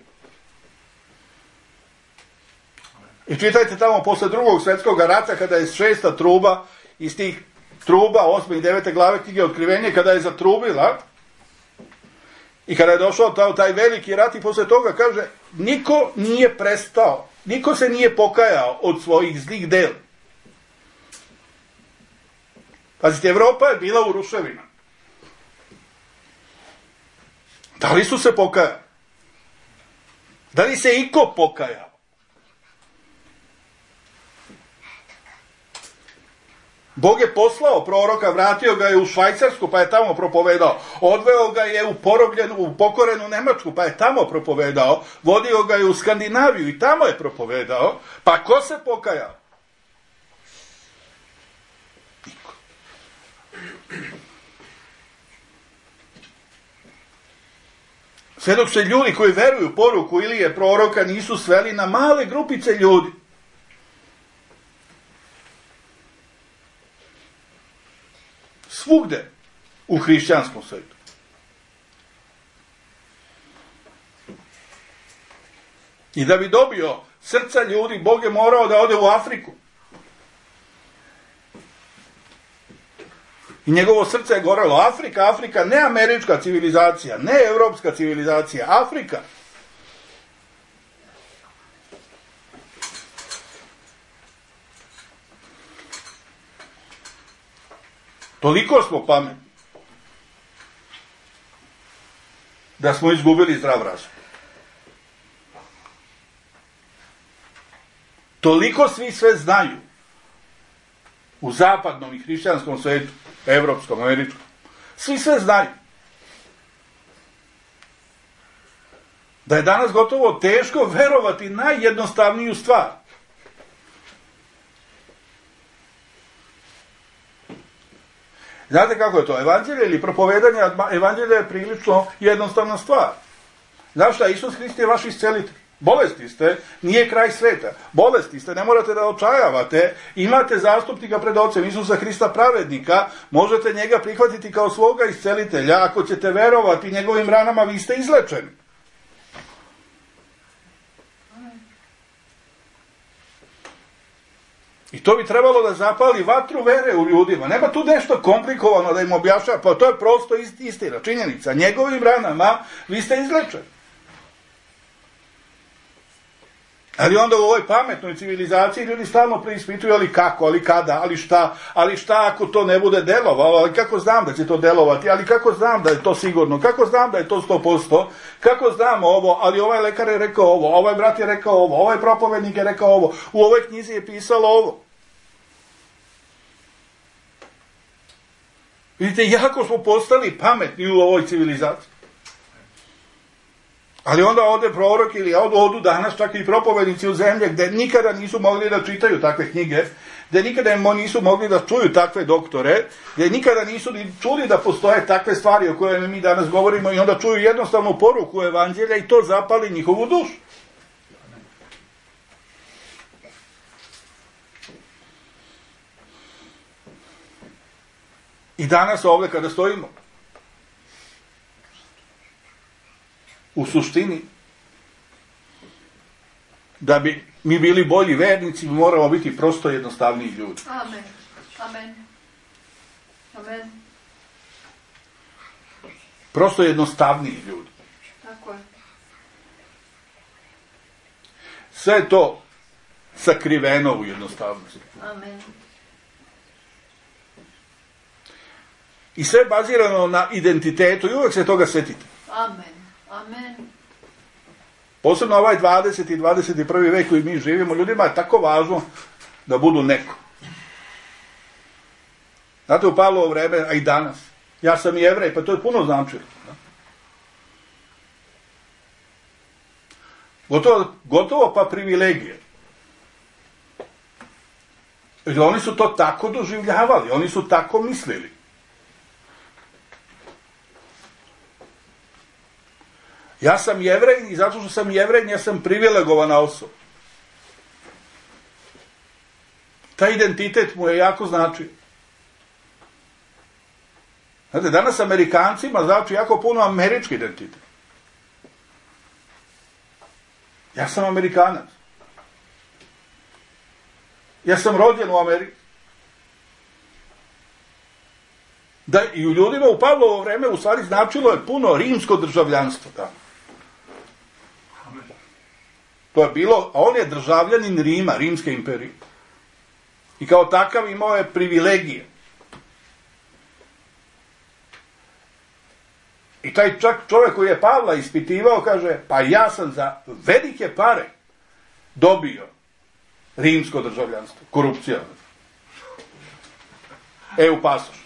I čitajte tamo posle Drugog svjetskog rata, kada je 6. truba iz tih truba 8. i 9. glave knjige Otkrivenje, kada je zatrubila i kada je došao taj veliki rat i posle toga kaže, niko nije prestao, niko se nije pokajao od svojih zlih dela. Pazite, Evropa je bila u ruševima. Da li su se pokajali? Da li se iko pokajao? Bog je poslao proroka, vratio ga je u Švajcarsku, pa je tamo propovedao. Odveo ga je u pokorenu Nemačku, pa je tamo propovedao. Vodio ga je u Skandinaviju i tamo je propovedao. Pa ko se pokajao? Niko. Sve dok se ljudi koji veruju poruku Ilije proroka nisu sveli na male grupice ljudi. Svugde u hrišćanskom svijetu. I da bi dobio srca ljudi, Bog je morao da ode u Afriku. I njegovo srce je gorelo. Afrika, ne američka civilizacija, ne evropska civilizacija, Afrika. Toliko smo pametni da smo izgubili zdrav razum. Toliko svi sve znaju u zapadnom i hrišćanskom svijetu, evropskom, američkom. Svi sve znaju. Da je danas gotovo teško verovati najjednostavniju stvar. Znate kako je to? Evanđelje ili propovedanje evanđelja je prilično jednostavna stvar. Znaš šta? Isus Hrist je vaš iscelitelj. Bolesti ste, nije kraj sveta. Bolesti ste, ne morate da očajavate. Imate zastupnika pred Ocem Isusa Hrista pravednika. Možete njega prihvatiti kao svoga iscelitelja. Ako ćete verovati njegovim ranama, vi ste izlečeni. I to bi trebalo da zapali vatru vere u ljudima. Nema tu nešto komplikovano da im objašnjava, pa to je prosto istina, činjenica. Njegovim ranama vi ste izlečeni. Ali onda u ovoj pametnoj civilizaciji ljudi stalno preispituju, ali kako, ali kada, ali šta ako to ne bude delovalo, ali kako znam da će to delovati, ali kako znam da je to sigurno, kako znam da je to 100%, kako znam ovo, ali ovaj lekar je rekao ovo, ovaj brat je rekao ovo, ovaj propovednik je rekao ovo, u ovoj knjizi je pisalo ovo. Vidite, jako smo postali pametni u ovoj civilizaciji. Ali onda ode prorok ili odu danas čak i propovednici u zemlje gdje nikada nisu mogli da čitaju takve knjige, gdje nikada nisu mogli da čuju takve doktore, gdje nikada nisu ni čuli da postoje takve stvari o kojima mi danas govorimo i onda čuju jednostavnu poruku evanđelja i to zapali njihovu dušu. I danas ovdje kada stojimo, u suštini, da bi mi bili bolji vernici, mi moramo biti prosto jednostavniji ljudi. Amen. Amen. Amen. Prosto jednostavniji ljudi. Tako je. Sve je to sakriveno u jednostavnosti. Amen. I sve je bazirano na identitetu i uvijek se toga setite. Amen. Amen. Posebno ovaj 20. i 21. vek koji mi živimo, ljudima je tako važno da budu neko. Znate, u Pavlovo vreme, a i danas, ja sam Jevrej, pa to je puno značilo. Gotovo pa privilegije. Jer oni su to tako doživljavali, oni su tako mislili. Ja sam Jevrej i zato što sam Jevrej, ja sam privilegovana osoba. Taj identitet mu je jako značio. Znate, danas Amerikancima znači jako puno američki identitet. Ja sam Amerikanac. Ja sam rođen u Americi. Da, i u ljudima u Pavlovo vreme u stvari značilo je puno rimsko državljanstvo tamo. To je bilo, a on je državljanin Rima, Rimske imperije. I kao takav imao je privilegije. I taj čak čovjek koji je Pavla ispitivao kaže, pa ja sam za velike pare dobio rimsko državljanstvo. Korupcija. EU pasoš.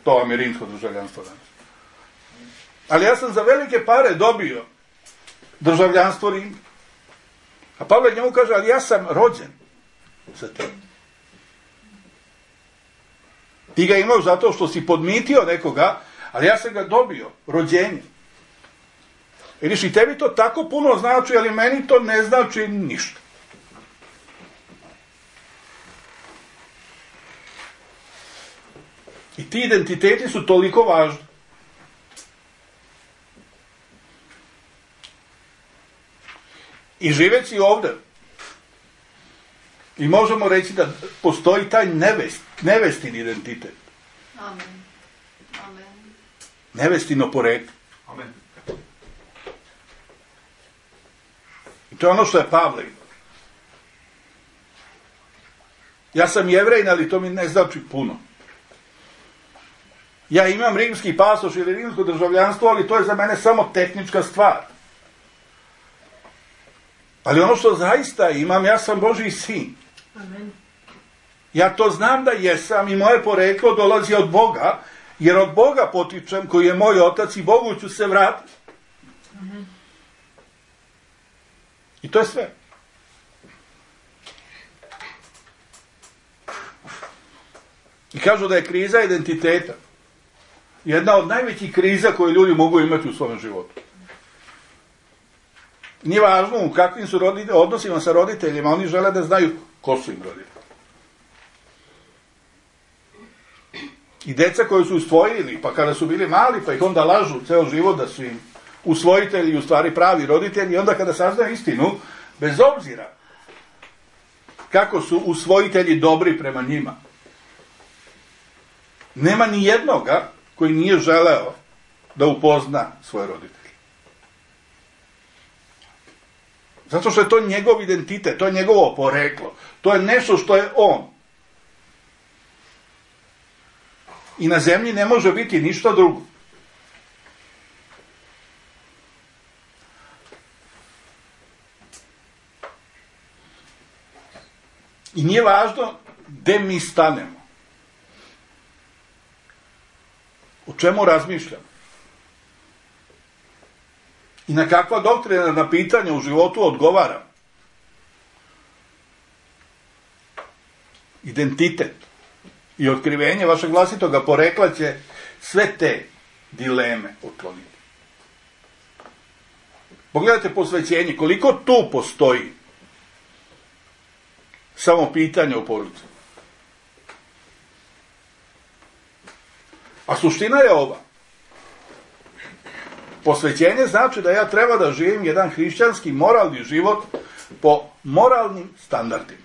To vam je rimsko državljanstvo danas. Ali ja sam za velike pare dobio državljanstvo Rima. A Pavle njemu kaže, ali ja sam rođen sa tim. Ti ga imao zato što si podmitio nekoga, ali ja sam ga dobio, rođenje. Vidiš, i tebi to tako puno znači, ali meni to ne znači ništa. I ti identiteti su toliko važni. I živeći ovdje, i možemo reći da postoji taj nevestin identitet. Amen. Amen. Nevestino poreklo. Amen. I to je ono što je Pavle. Ja sam Jevrejin, ali to mi ne znači puno. Ja imam rimski pasoš ili rimsko državljanstvo, ali to je za mene samo tehnička stvar. Ali ono što zaista imam, ja sam Božji sin. Amen. Ja to znam da jesam i moje poreklo dolazi od Boga, jer od Boga potičem koji je moj otac i Bogu ću se vratiti. Amen. I to je sve. I kažu da je kriza identiteta jedna od najvećih kriza koje ljudi mogu imati u svom životu. Nije važno u kakvim su odnosima sa roditeljima, oni žele da znaju ko su im roditelji. I deca koji su usvojili, pa kada su bili mali, pa ih onda lažu ceo život da su im usvojitelji u stvari pravi roditelji, i onda kada saznaju istinu, bez obzira kako su usvojitelji dobri prema njima, nema ni jednoga koji nije želeo da upozna svoje roditelje. Zato što je to njegov identitet, to je njegovo poreklo. To je nešto što je on. I na zemlji ne može biti ništa drugo. I nije važno gde mi stanemo. O čemu razmišljamo. I na kakva doktrinarna pitanja u životu odgovaram. Identitet i otkrivenje vašeg vlastitoga porekla će sve te dileme otkloniti. Pogledajte posvećenje, koliko tu postoji samo pitanje u porodici. A suština je ova. Posvećenje znači da ja treba da živim jedan hrišćanski moralni život po moralnim standardima.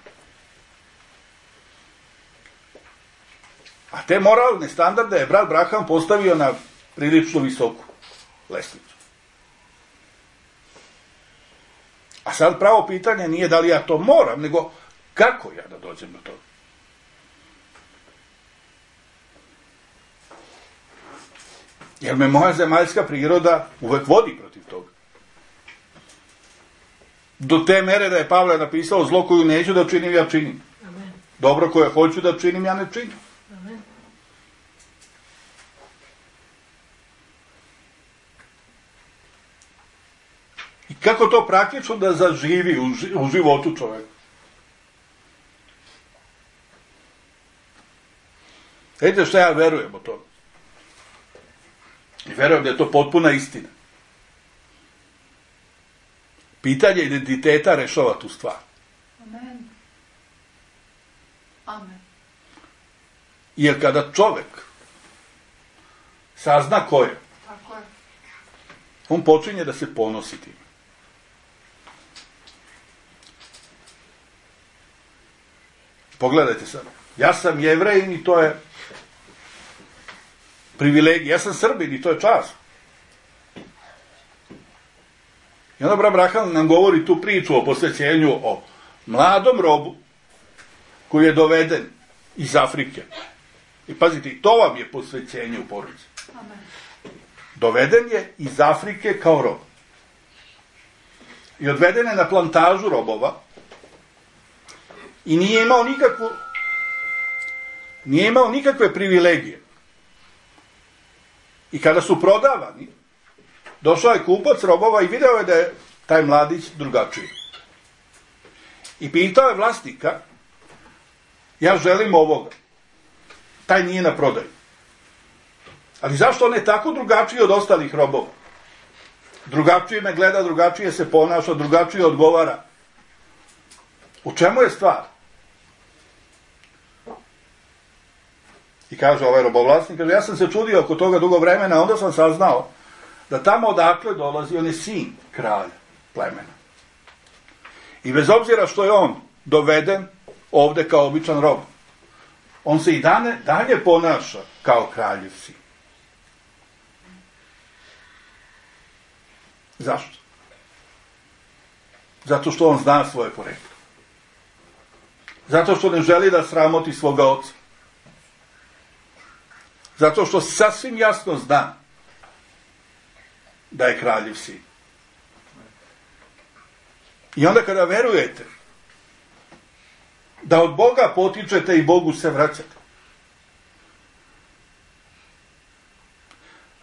A te moralne standarde je brat Braham postavio na prilično visoku lestvicu. A sad pravo pitanje nije da li ja to moram, nego kako ja da dođem do toga. Jer me moja zemaljska priroda uvek vodi protiv toga. Do te mere da je Pavle napisao zlo koju neću da činim, ja činim. Amen. Dobro koje hoću da činim, ja ne činim. Amen. I kako to praktično da zaživi u životu čoveka? Vidite što ja verujem o tome. I verujem da je to potpuna istina. Pitanje identiteta rešava tu stvar. Amen. Amen. Jer kada čovek sazna ko je, Tako je. on počinje da se ponosi tim. Pogledajte sad. Ja sam Jevrejin i to je privilegija. Ja sam Srbin i to je čast. I onda brat Braham nam govori tu priču o posvećenju o mladom robu koji je doveden iz Afrike. I pazite, to vam je posvećenje u porodici. Amen. Doveden je iz Afrike kao rob. I odveden je na plantažu robova i nije imao nikakve privilegije. I kada su prodavani, došao je kupac robova i video je da je taj mladić drugačiji. I pitao je vlasnika, ja želim ovoga. Taj nije na prodaju. Ali zašto on je tako drugačiji od ostalih robova? Drugačije me gleda, drugačije se ponaša, drugačije odgovara. U čemu je stvar? I kaže ovaj robovlasnik, kaže, ja sam se čudio oko toga dugo vremena, onda sam saznao da tamo odakle dolazi, on je sin kralja plemena. I bez obzira što je on doveden ovde kao običan rob, on se i dalje ponaša kao kraljev sin. Zašto? Zato što on zna svoje poreklo. Zato što ne želi da sramoti svoga oca. Zato što sasvim jasno zna da je kraljev sin. I onda kada verujete da od Boga potičete i Bogu se vraćate.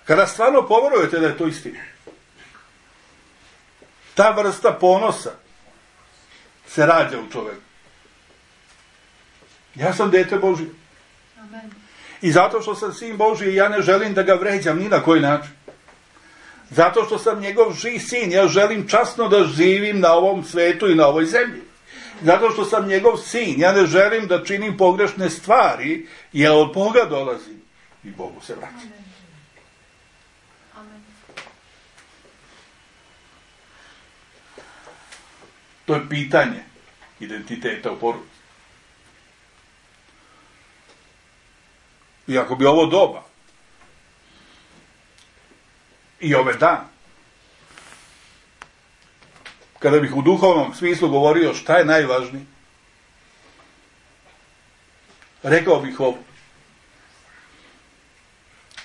Kada stvarno poverujete da je to istina, ta vrsta ponosa se rađa u čoveku. Ja sam dete Božije. Amen. I zato što sam sin Božiji, ja ne želim da ga vređam ni na koji način. Zato što sam njegov sin, ja želim časno da živim na ovom svetu i na ovoj zemlji. Zato što sam njegov sin, ja ne želim da činim pogrešne stvari, jer od Boga dolazi i Bogu se vraća. Amen. Amen. To je pitanje identiteta u porodici. I ako bi ovo doba i ove dan, kada bih u duhovnom smislu govorio šta je najvažnije, rekao bih ovo.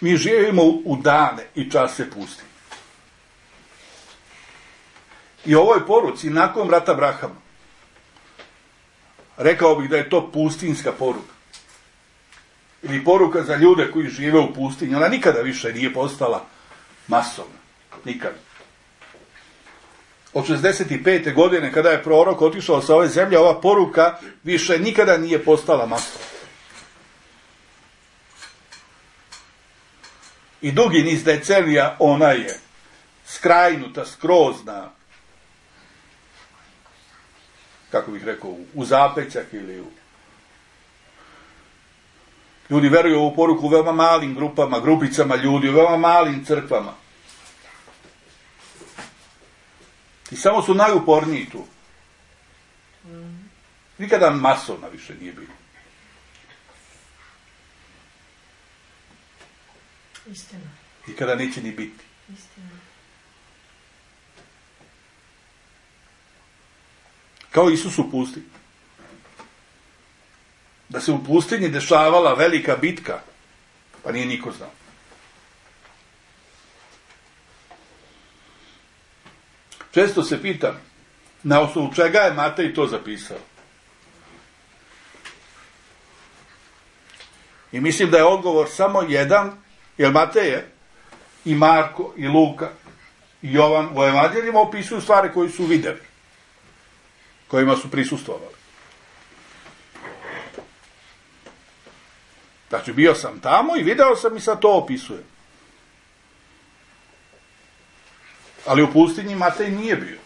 Mi živimo u dane i čase pusti. I u ovoj poruci, nakon rata Abrahama, rekao bih da je to pustinska poruka. Ili poruka za ljude koji žive u pustinji. Ona nikada više nije postala masovna. Nikada. Od 65. godine, kada je prorok otišao sa ove zemlje, ova poruka više nikada nije postala masovna. I dugi niz decenija ona je skrajnuta, skrozna, kako bih rekao, u zapećak ili u... Ljudi veruju u ovu poruku u veoma malim grupama, grupicama ljudi, u veoma malim crkvama. I samo su najuporniji tu. Nikada masovna više nije bilo. Istina. I kada neće ni biti. Istina. Kao Isus u pustinji. Da se u pustinji dešavala velika bitka, pa nije niko znao. Često se pitam, na osnovu čega je Matej to zapisao? I mislim da je odgovor samo jedan, jer Mateje i Marko i Luka i Jovan u evanđeljima opisuju stvari koje su vidjeli, kojima su prisustvovali. Znači, bio sam tamo i video sam i sad to opisujem. Ali u pustinji Matej nije bio.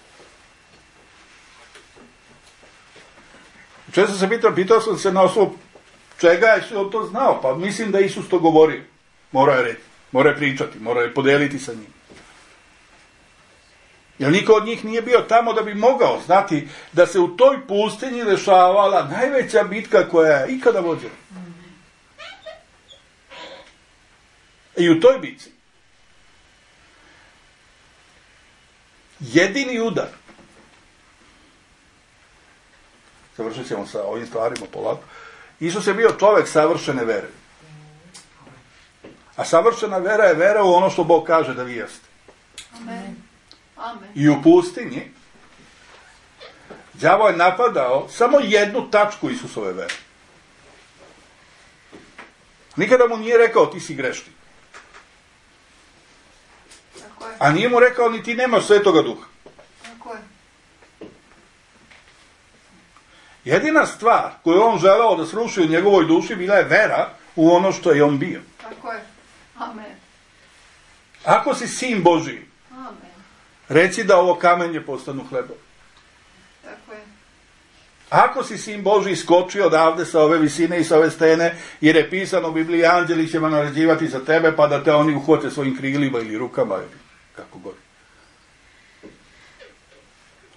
Često se pitao sam se na osnovu čega je on to znao, pa mislim da Isus to govorio. Morao je reći, morao je pričati, morao je podeliti sa njim. Jer niko od njih nije bio tamo da bi mogao znati da se u toj pustinji dešavala najveća bitka koja je ikada vođena. I u toj bitci jedini udar, završit ćemo sa ovim stvarima polako, Isus je bio čovjek savršene vere. A savršena vera je vera u ono što Bog kaže da vi jeste. Amen. Amen. I u pustinji đavo je napadao samo jednu tačku Isusove vere. Nikada mu nije rekao ti si grešnik. Tako je. A nije mu rekao ni ti nemaš Svetoga Duha. Tako je. Jedina stvar koju on želeo da sruši u njegovoj duši bila je vera u ono što je on bio. Tako je. Amen. Ako si sin Božiji, Amen. reci da ovo kamenje postanu hlebom. Tako je. Ako si sin Božiji, skoči odavde sa ove visine i sa ove stene, jer je pisano u Bibliji, anđeli će naređivati za tebe, pa da te oni uhvate svojim krilima ili rukama, ili kako god.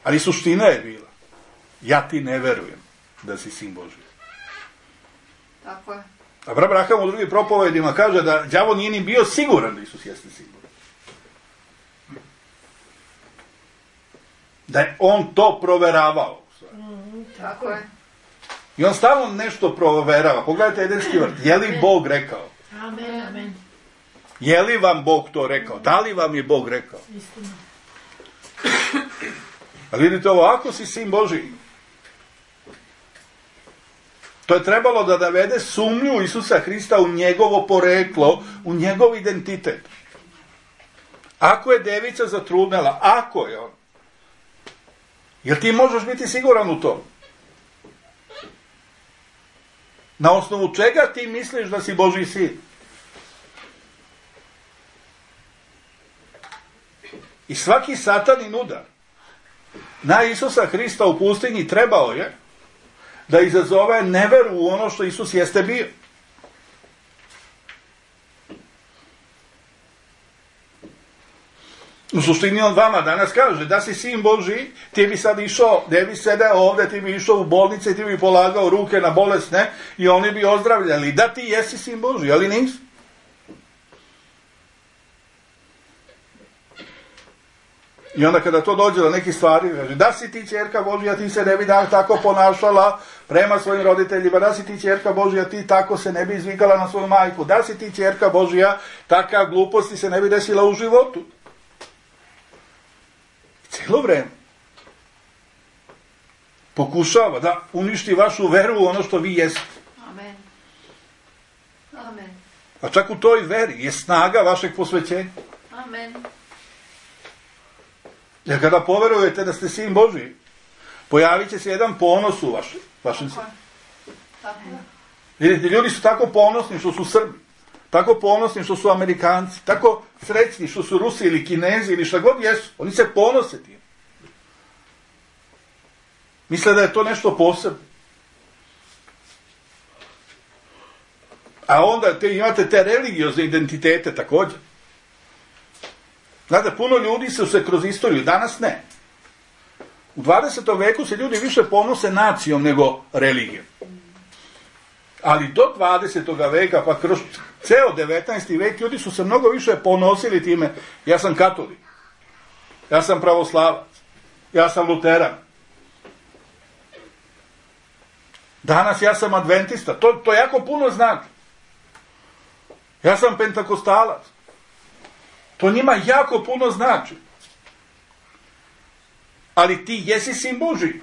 Ali suština je bila, ja ti ne verujem da si sin Božiji. Tako je. A Abraham u drugim propovedima kaže da đavo nije ni bio siguran da Isus jeste sin Božiji. Da je on to proveravao. Tako je. I on stalno nešto proverava. Pogledajte Edenski vrt. Je li Bog rekao? Amen, amen. Je li vam Bog to rekao? Da li vam je Bog rekao? Istina. A vidite ovo, ako si sin Božiji, to je trebalo da navede sumnju Isusa Hrista u njegovo poreklo, u njegov identitet. Ako je devica zatrudnela, ako je on, jer ti možeš biti siguran u to? Na osnovu čega ti misliš da si Božji sin? I svaki satanin udar na Isusa Hrista u pustinji trebao je da izazove neveru u ono što Isus jeste bio. U suštini on vama danas kaže da si sin Božji, ti bi sad išao, ne bi sedeo ovdje, ti bi išao u bolnice, ti bi polagao ruke na bolesne i oni bi ozdravljali. Da, ti jesi sin Božji, ali nisi. I onda kada to dođe do nekih stvari, kaže, da si ti ćerka Božja, ti se ne bi tako ponašala prema svojim roditeljima, da si ti ćerka Božja, ti tako se ne bi izvikala na svoju majku, da si ti ćerka Božja, takav gluposti se ne bi desila u životu. Cijelo vreme pokušava da uništi vašu veru u ono što vi jeste. Amen. Amen. A čak u toj veri je snaga vašeg posvećenja. Amen. Jer kada poverujete da ste sin Božji, pojavit će se jedan ponos u vašem srcu. Tako je. Vidite, ljudi su tako ponosni što su Srbi, tako ponosni što su Amerikanci, tako srećni što su Rusi ili Kinezi ili šta god jesu. Oni se ponose tim. Misle da je to nešto posebno. A onda imate te religiozne identitete također. Znate, puno ljudi su se kroz istoriju, danas ne. U 20. veku se ljudi više ponose nacijom nego religijom. Ali do 20. veka, pa kroz ceo 19. vek, ljudi su se mnogo više ponosili time, ja sam katolik, ja sam pravoslavac, ja sam luteran. Danas ja sam adventista, to jako puno znači. Ja sam pentakostalac. To njima jako puno znači. Ali ti jesi sin Božji.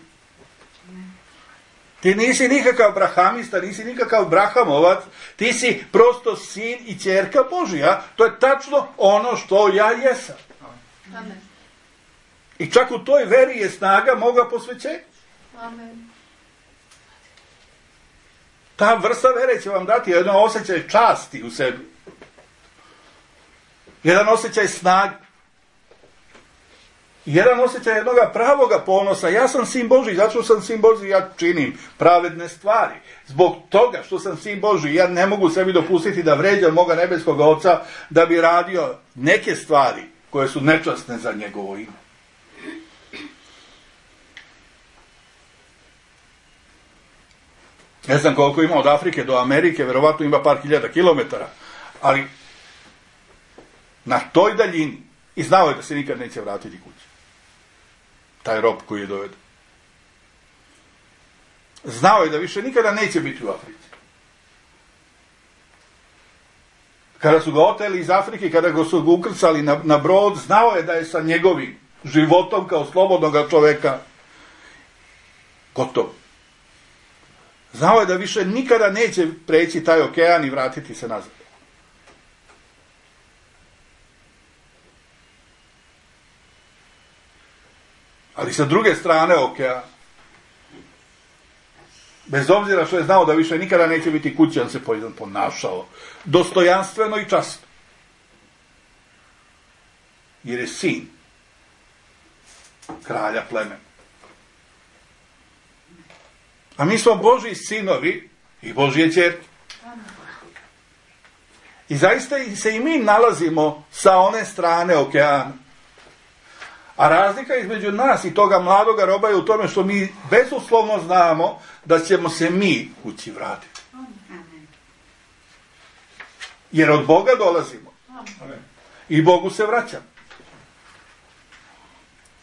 Ti nisi nikakav brahamista, nisi nikakav brahamovac, ti si prosto sin i ćerka Božja. To je tačno ono što ja jesam. Amen. I čak u toj veri je snaga moga posvećenja. Amen. Ta vrsta vere će vam dati jedan osjećaj časti u sebi. Jedan osjećaj snage. Jedan osjećaj jednog pravoga ponosa. Ja sam sin Božji, zato što sam sin Božji, ja činim pravedne stvari. Zbog toga što sam sin Božji, ja ne mogu sebi dopustiti da vređam moga nebeskog Oca, da bi radio neke stvari koje su nečasne za njegovo ime. Ne znam koliko ima od Afrike do Amerike, verovatno ima par hiljada kilometara, ali na toj daljini, i znao je da se nikad neće vratiti kući. Taj rob koji je doveden. Znao je da više nikada neće biti u Africi. Kada su ga oteli iz Afrike, kada ga su ga ukrcali na brod, znao je da je sa njegovim životom kao slobodnog čoveka gotovo. Znao je da više nikada neće preći taj okean i vratiti se nazad. Ali sa druge strane okeana, bez obzira što je znao da više nikada neće biti kući, on se ponašao dostojanstveno i časno. Jer je sin kralja plemena. A mi smo Božji sinovi i Božje ćerke. I zaista se i mi nalazimo sa one strane okeana. A razlika između nas i toga mladoga roba je u tome što mi bezuslovno znamo da ćemo se mi kući vratiti. Jer od Boga dolazimo. I Bogu se vraćamo.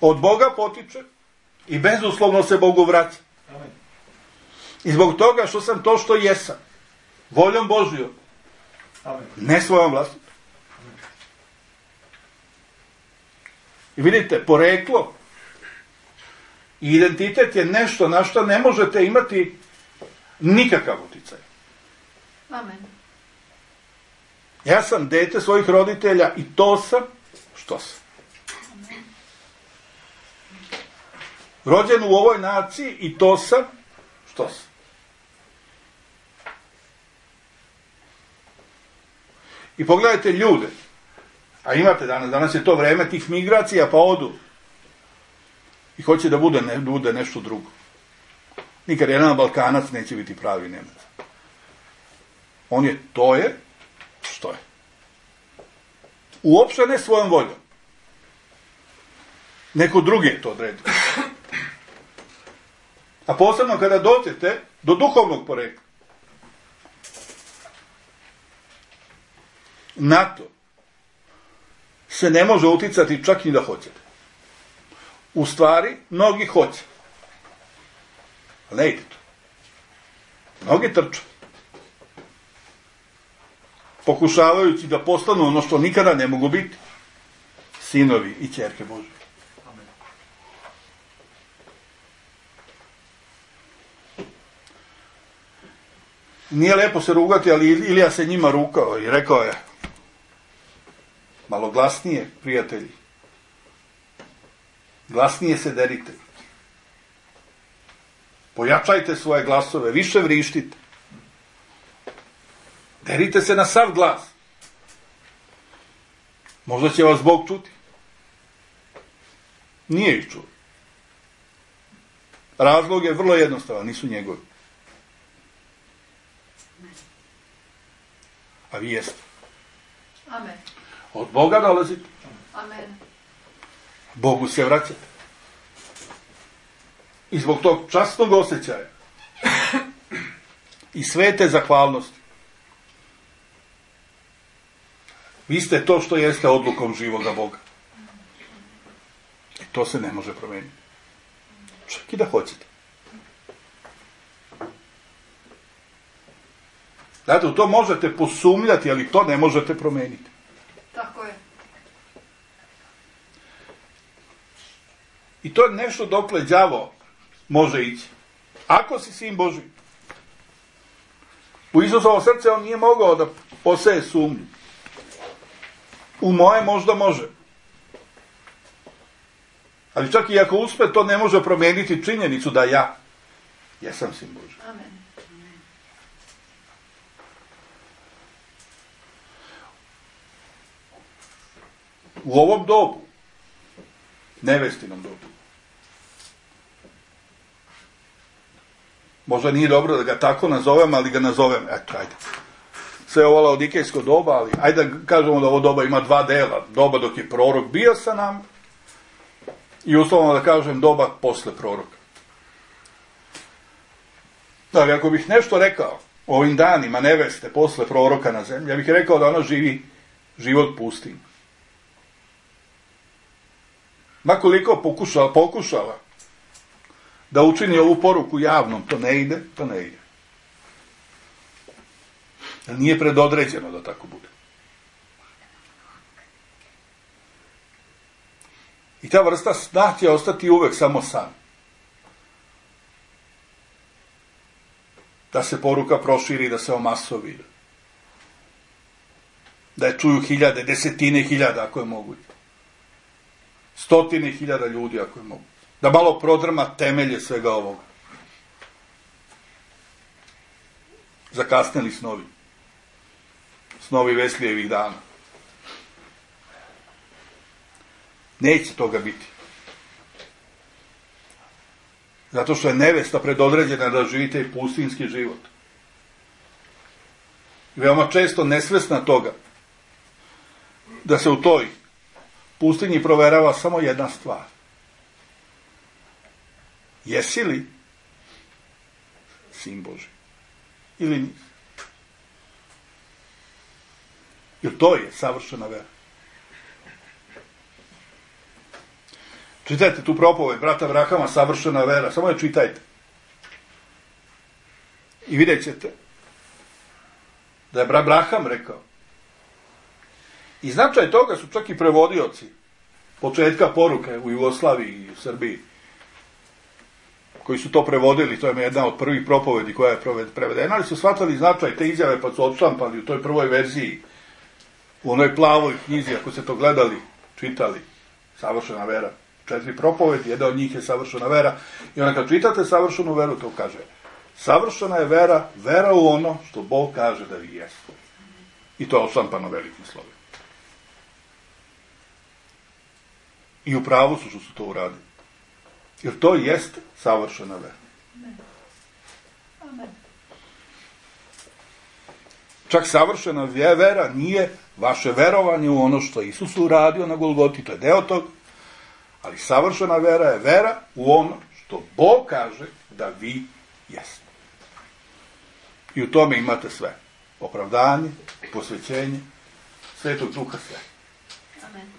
Od Boga potiče i bezuslovno se Bogu vraća. I zbog toga što sam to što jesam, voljom Božjom, ne svojom vlastitom. I vidite, poreklo i identitet je nešto na što ne možete imati nikakav uticaj. Amen. Ja sam dete svojih roditelja i to sam što sam. Amen. Rođen u ovoj naciji i to sam što sam. I pogledajte ljude, a imate danas je to vreme tih migracija, pa odu i hoće da bude nešto drugo. Nikad jedan Balkanac neće biti pravi Nemac. On je što je. Uopšte ne svojom voljom. Neko drugi je to odredio. A posebno kada dođete do duhovnog porekla. Na to se ne može uticati čak i da hoćete. U stvari, mnogi hoće. Ali ne ide to. Mnogi trče. Pokušavajući da postanu ono što nikada ne mogu biti. Sinovi i ćerke Božje. Amen. Nije lepo se rugati, ali Ilija se njima rukao i rekao je: malo glasnije, prijatelji. Glasnije se derite. Pojačajte svoje glasove, više vrištite. Derite se na sav glas. Možda će vas Bog čuti. Nije ih čuo. Razlog je vrlo jednostavan, nisu njegovi. A vi jeste. Amen. Od Boga dolazite. Amen. Bogu se vraćate. I zbog tog časnog osjećaja i svete zahvalnosti vi ste to što jeste odlukom živoga Boga. I to se ne može promijeniti. Čak i da hoćete. Znate, u to možete posumnjati, ali to ne možete promijeniti. Tako je. I to je nešto dokle đavo može ići. Ako si sin Božji. U Isusovo srce on nije mogao da poseje sumnju. U moje možda može. Ali čak i ako uspe, to ne može promijeniti činjenicu da ja jesam sin Božji. Amen. U ovom dobu, nevestinom dobu, možda nije dobro da ga tako nazovem, ali ga nazovem, eto, ajde. Sve ovo laodikejsko doba, ali ajde da kažemo da ovo doba ima dva dela. Doba dok je prorok bio sa nam i uslovno da kažem doba posle proroka. Dakle, ako bih nešto rekao o ovim danima neveste posle proroka na zemlji, ja bih rekao da ona živi život pustinj. Makoliko pokušala da učini ovu poruku javnom, to ne ide. Jer nije predodređeno da tako bude. I ta vrsta sna će ostati uvek samo san. Da se poruka proširi, da se omasovi. Da je čuju hiljade, desetine hiljada ako je moguće. Stotine hiljada ljudi ako je moguće. Da malo prodrma temelje svega ovoga. Zakasnili snovi. Snovi Veslijevih dana. Neće toga biti. Zato što je nevesta predodređena da živi taj pustinski život. I veoma često nesvesna toga da se u toj pustinji proverava samo jedna stvar. Jesi li sin Božji? Ili nisi? Jer to je savršena vera. Čitajte tu propoved brata Abrahama, savršena vera. Samo je čitajte. I vidjet ćete da je brat Abraham rekao. I značaj toga su čak i prevodioci početka poruke u Jugoslaviji i u Srbiji, koji su to prevodili, to je jedna od prvih propovedi koja je prevedena, ali su shvatali značaj te izjave pa su odštampali u toj prvoj verziji, u onoj plavoj knjizi, ako ste to gledali, čitali, savršena vera. 4 propovedi, jedna od njih je savršena vera. I onda kad čitate savršenu veru, to kaže, savršena je vera, vera u ono što Bog kaže da vi jeste. I to je odštampano velikim slovima. I u pravu su što su to uradili. Jer to jeste savršena vera. Amen. Čak savršena vera nije vaše verovanje u ono što Isus uradio na Golgoti, to je deo toga, ali savršena vera je vera u ono što Bog kaže da vi jeste. I u tome imate sve. Opravdanje, posvećenje, Svetog Duha, sve. Amen.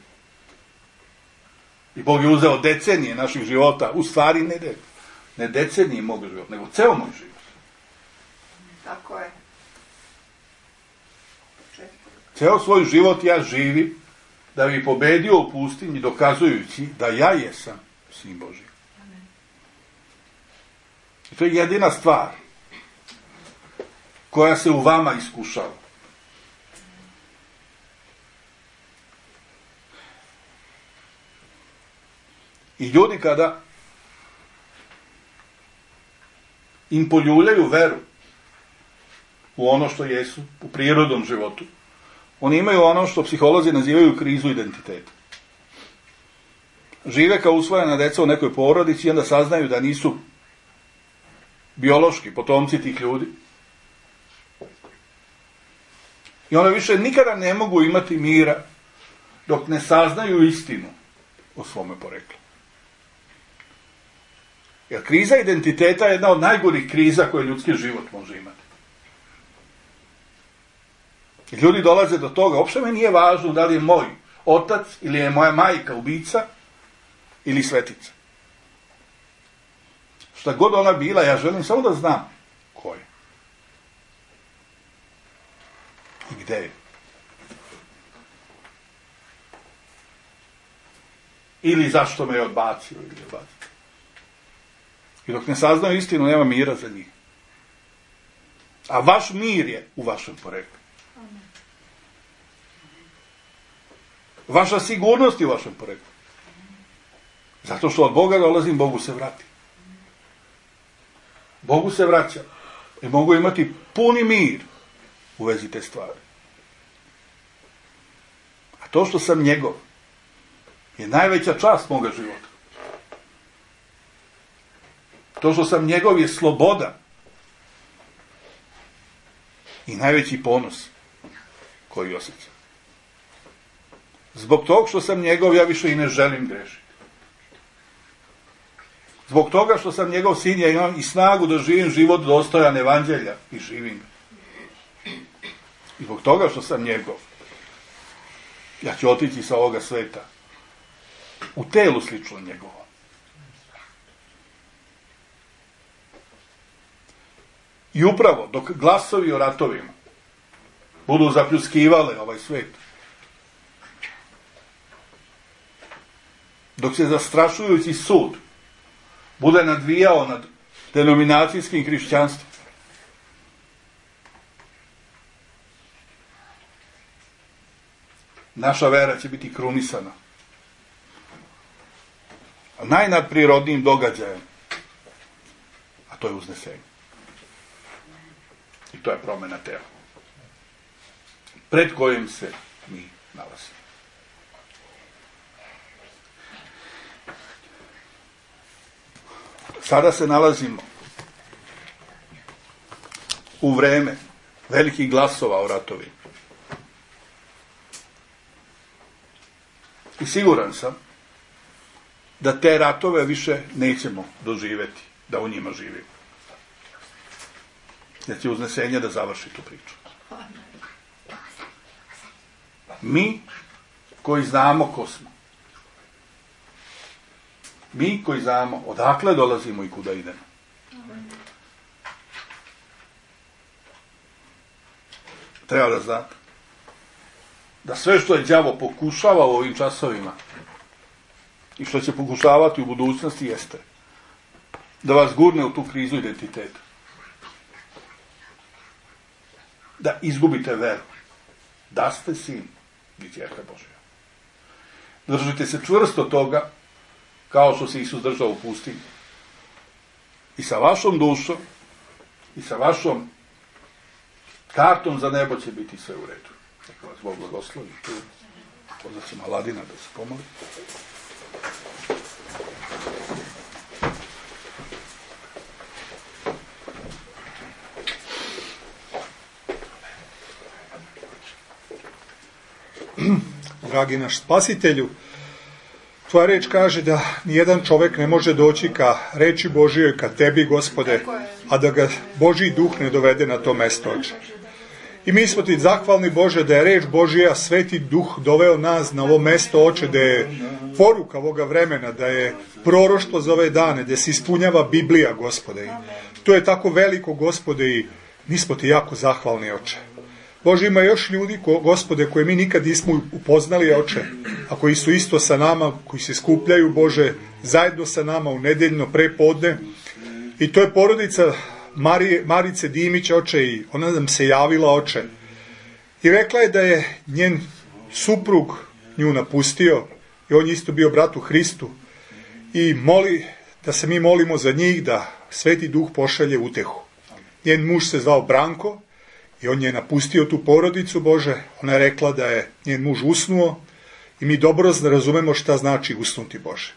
I Bog je uzeo decenije naših života, u stvari ne decenije mog života, nego ceo moj život. Tako je. Ceo svoj život ja živim da bi pobedio u pustinji, dokazujući da ja jesam Sin Božji. I to je jedina stvar koja se u vama iskušava. I ljudi kada im poljuljaju veru u ono što jesu, u prirodnom životu, oni imaju ono što psiholozi nazivaju krizu identiteta. Žive kao usvojena deca u nekoj porodici i onda saznaju da nisu biološki potomci tih ljudi. I onda više nikada ne mogu imati mira dok ne saznaju istinu o svome poreklu. Jer kriza identiteta je jedna od najgorih kriza koje ljudski život može imati. I ljudi dolaze do toga, uopšte mi nije važno da li je moj otac ili je moja majka ubica ili svetica. Šta god ona bila, ja želim samo da znam ko je. I gde je. Ili zašto me je odbacio ili odbacio. I dok ne saznaju istinu, nema mira za njih. A vaš mir je u vašem poreklu. Vaša sigurnost je u vašem poreklu. Zato što od Boga dolazim, Bogu se vrati. Bogu se vraća. I mogu imati puni mir u vezi te stvari. A to što sam njegov je najveća čast moga života. To što sam njegov je sloboda i najveći ponos koji osjećam. Zbog toga što sam njegov, ja više i ne želim grešiti. Zbog toga što sam njegov sin, ja imam i snagu da živim život dostojan evanđelja i živim ga. I zbog toga što sam njegov, ja ću otići sa ovoga sveta u telu slično njegovo. I upravo dok glasovi o ratovima budu zapljuskivale ovaj svet, dok se zastrašujući sud bude nadvijao nad denominacijskim hrišćanstvom, naša vera će biti krunisana najnadprirodnijim događajem, a to je uznesenje. I to je promjena tela, pred kojim se mi nalazimo. Sada se nalazimo u vreme velikih glasova o ratovima. I siguran sam da te ratove više nećemo doživjeti, da u njima živimo. Da će uznesenje da završi tu priču. Mi koji znamo ko smo. Mi koji znamo odakle dolazimo i kuda idemo. Treba da znate da sve što je đavo pokušava u ovim časovima i što će pokušavati u budućnosti jeste da vas gurne u tu krizu identiteta. Da izgubite veru. Da ste sin i ćerka Božja. Držite se čvrsto toga kao što se Isus držao u pustinji. I sa vašom dušom i sa vašom kartom za nebo će biti sve u redu. Neka vas Bog blagoslovi. Pozvat ćemo Aladina da se pomoli. Dragi naš Spasitelju, tvoja reč kaže da nijedan čovjek ne može doći ka reči Božijoj, ka tebi, Gospode, a da ga Božji duh ne dovede na to mesto, Oče. I mi smo ti zahvalni, Bože, da je reč Božija, Sveti Duh doveo nas na ovo mesto, Oče, da je poruka ovoga vremena, da je proroštvo za ove dane, da se ispunjava Biblija, Gospode. I to je tako veliko, Gospode, i mi smo ti jako zahvalni, Oče. Bože, ima još ljudi, Gospode, koje mi nikad nismo upoznali, Oče, a koji su isto sa nama, koji se skupljaju, Bože, zajedno sa nama u nedeljno prepodne. I to je porodica Marice Dimić, Oče, i ona nam se javila, Oče. I rekla je da je njen suprug nju napustio i on je isto bio brat u Hristu. I moli da se mi molimo za njih, da Sveti Duh pošalje utehu. Njen muž se zvao Branko i on je napustio tu porodicu, Bože. Ona je rekla da je njen muž usnuo i mi dobro razumemo šta znači usnuti, Bože.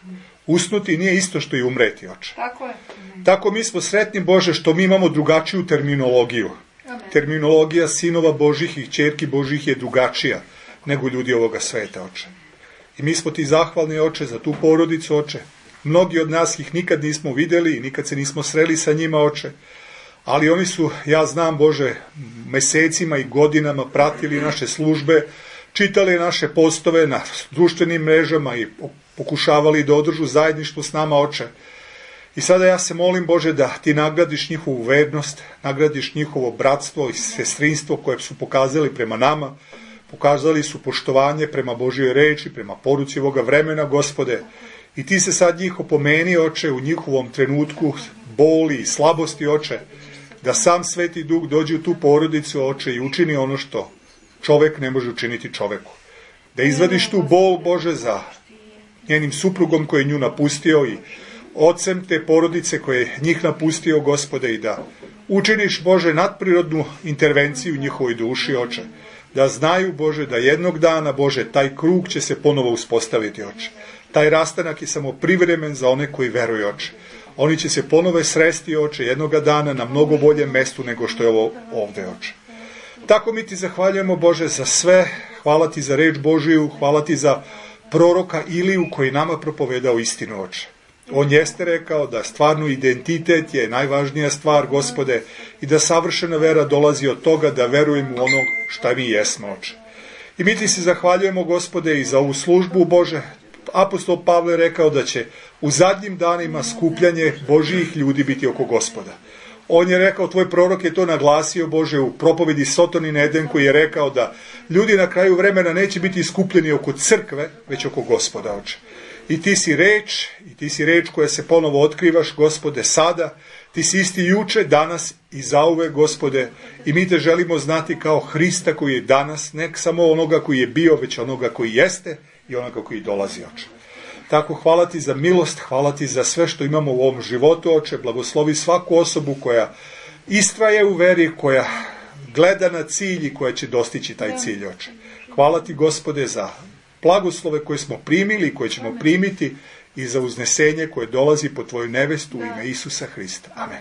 Usnuti nije isto što i umreti, Oče. Tako je. Tako mi smo sretni, Bože, što mi imamo drugačiju terminologiju. Amen. Terminologija sinova Božih i ćerki Božih je drugačija nego ljudi ovoga sveta, Oče. I mi smo ti zahvalni, Oče, za tu porodicu, Oče. Mnogi od nas ih nikad nismo videli i nikad se nismo sreli sa njima, Oče. Ali oni su, ja znam, Bože, mesecima i godinama pratili naše službe, čitali naše postove na društvenim mrežama i pokušavali da održu zajedništvo s nama, Oče. I sada ja se molim, Bože, da ti nagradiš njihovu vernost, nagradiš njihovo bratstvo i sestrinstvo koje su pokazali prema nama, pokazali su poštovanje prema Božjoj reči, prema poruci ovoga vremena, Gospode. I ti se sad njih opomeni, Oče, u njihovom trenutku boli i slabosti, Oče, da sam Sveti Duh dođe u tu porodicu, Oče, i učini ono što čovek ne može učiniti čoveku. Da izvadiš tu bol, Bože, za njenim suprugom koji je nju napustio i ocem te porodice koje je njih napustio, Gospode, i da učiniš, Bože, nadprirodnu intervenciju u njihovoj duši, Oče. Da znaju, Bože, da jednog dana, Bože, taj krug će se ponovo uspostaviti, Oče. Taj rastanak je samo privremen za one koji veruju, Oče. Oni će se ponove sresti, Oče, jednoga dana na mnogo boljem mestu nego što je ovo ovde, Oče. Tako mi ti zahvaljujemo, Bože, za sve. Hvala ti za reč Božiju, hvala ti za proroka Iliju koji nama propovedao istinu, Oče. On jeste rekao da stvarno identitet je najvažnija stvar, Gospode, i da savršena vera dolazi od toga da verujemo u ono šta mi jesmo, Oče. I mi ti se zahvaljujemo, Gospode, i za ovu službu, Bože. Apostol Pavle je rekao da će u zadnjim danima skupljanje Božijih ljudi biti oko Gospoda. On je rekao, tvoj prorok je to naglasio, Bože, u propovedi Sotonin Eden, koji je rekao da ljudi na kraju vremena neće biti skupljeni oko crkve, već oko Gospoda, Oče. I ti si reč koja se ponovo otkrivaš, Gospode, sada. Ti si isti juče, danas i zauvek, Gospode, i mi te želimo znati kao Hrista koji je danas, ne samo onoga koji je bio, već onoga koji jeste i onoga koji dolazi, Oče. Tako, hvala ti za milost, hvala ti za sve što imamo u ovom životu, Oče. Blagoslovi svaku osobu koja istraje u veri, koja gleda na cilj i koja će dostići taj cilj, Oče. Hvala ti, Gospode, za blagoslove koje smo primili i koje ćemo primiti i za uznesenje koje dolazi po tvoju nevestu u ime Isusa Hrista. Amen.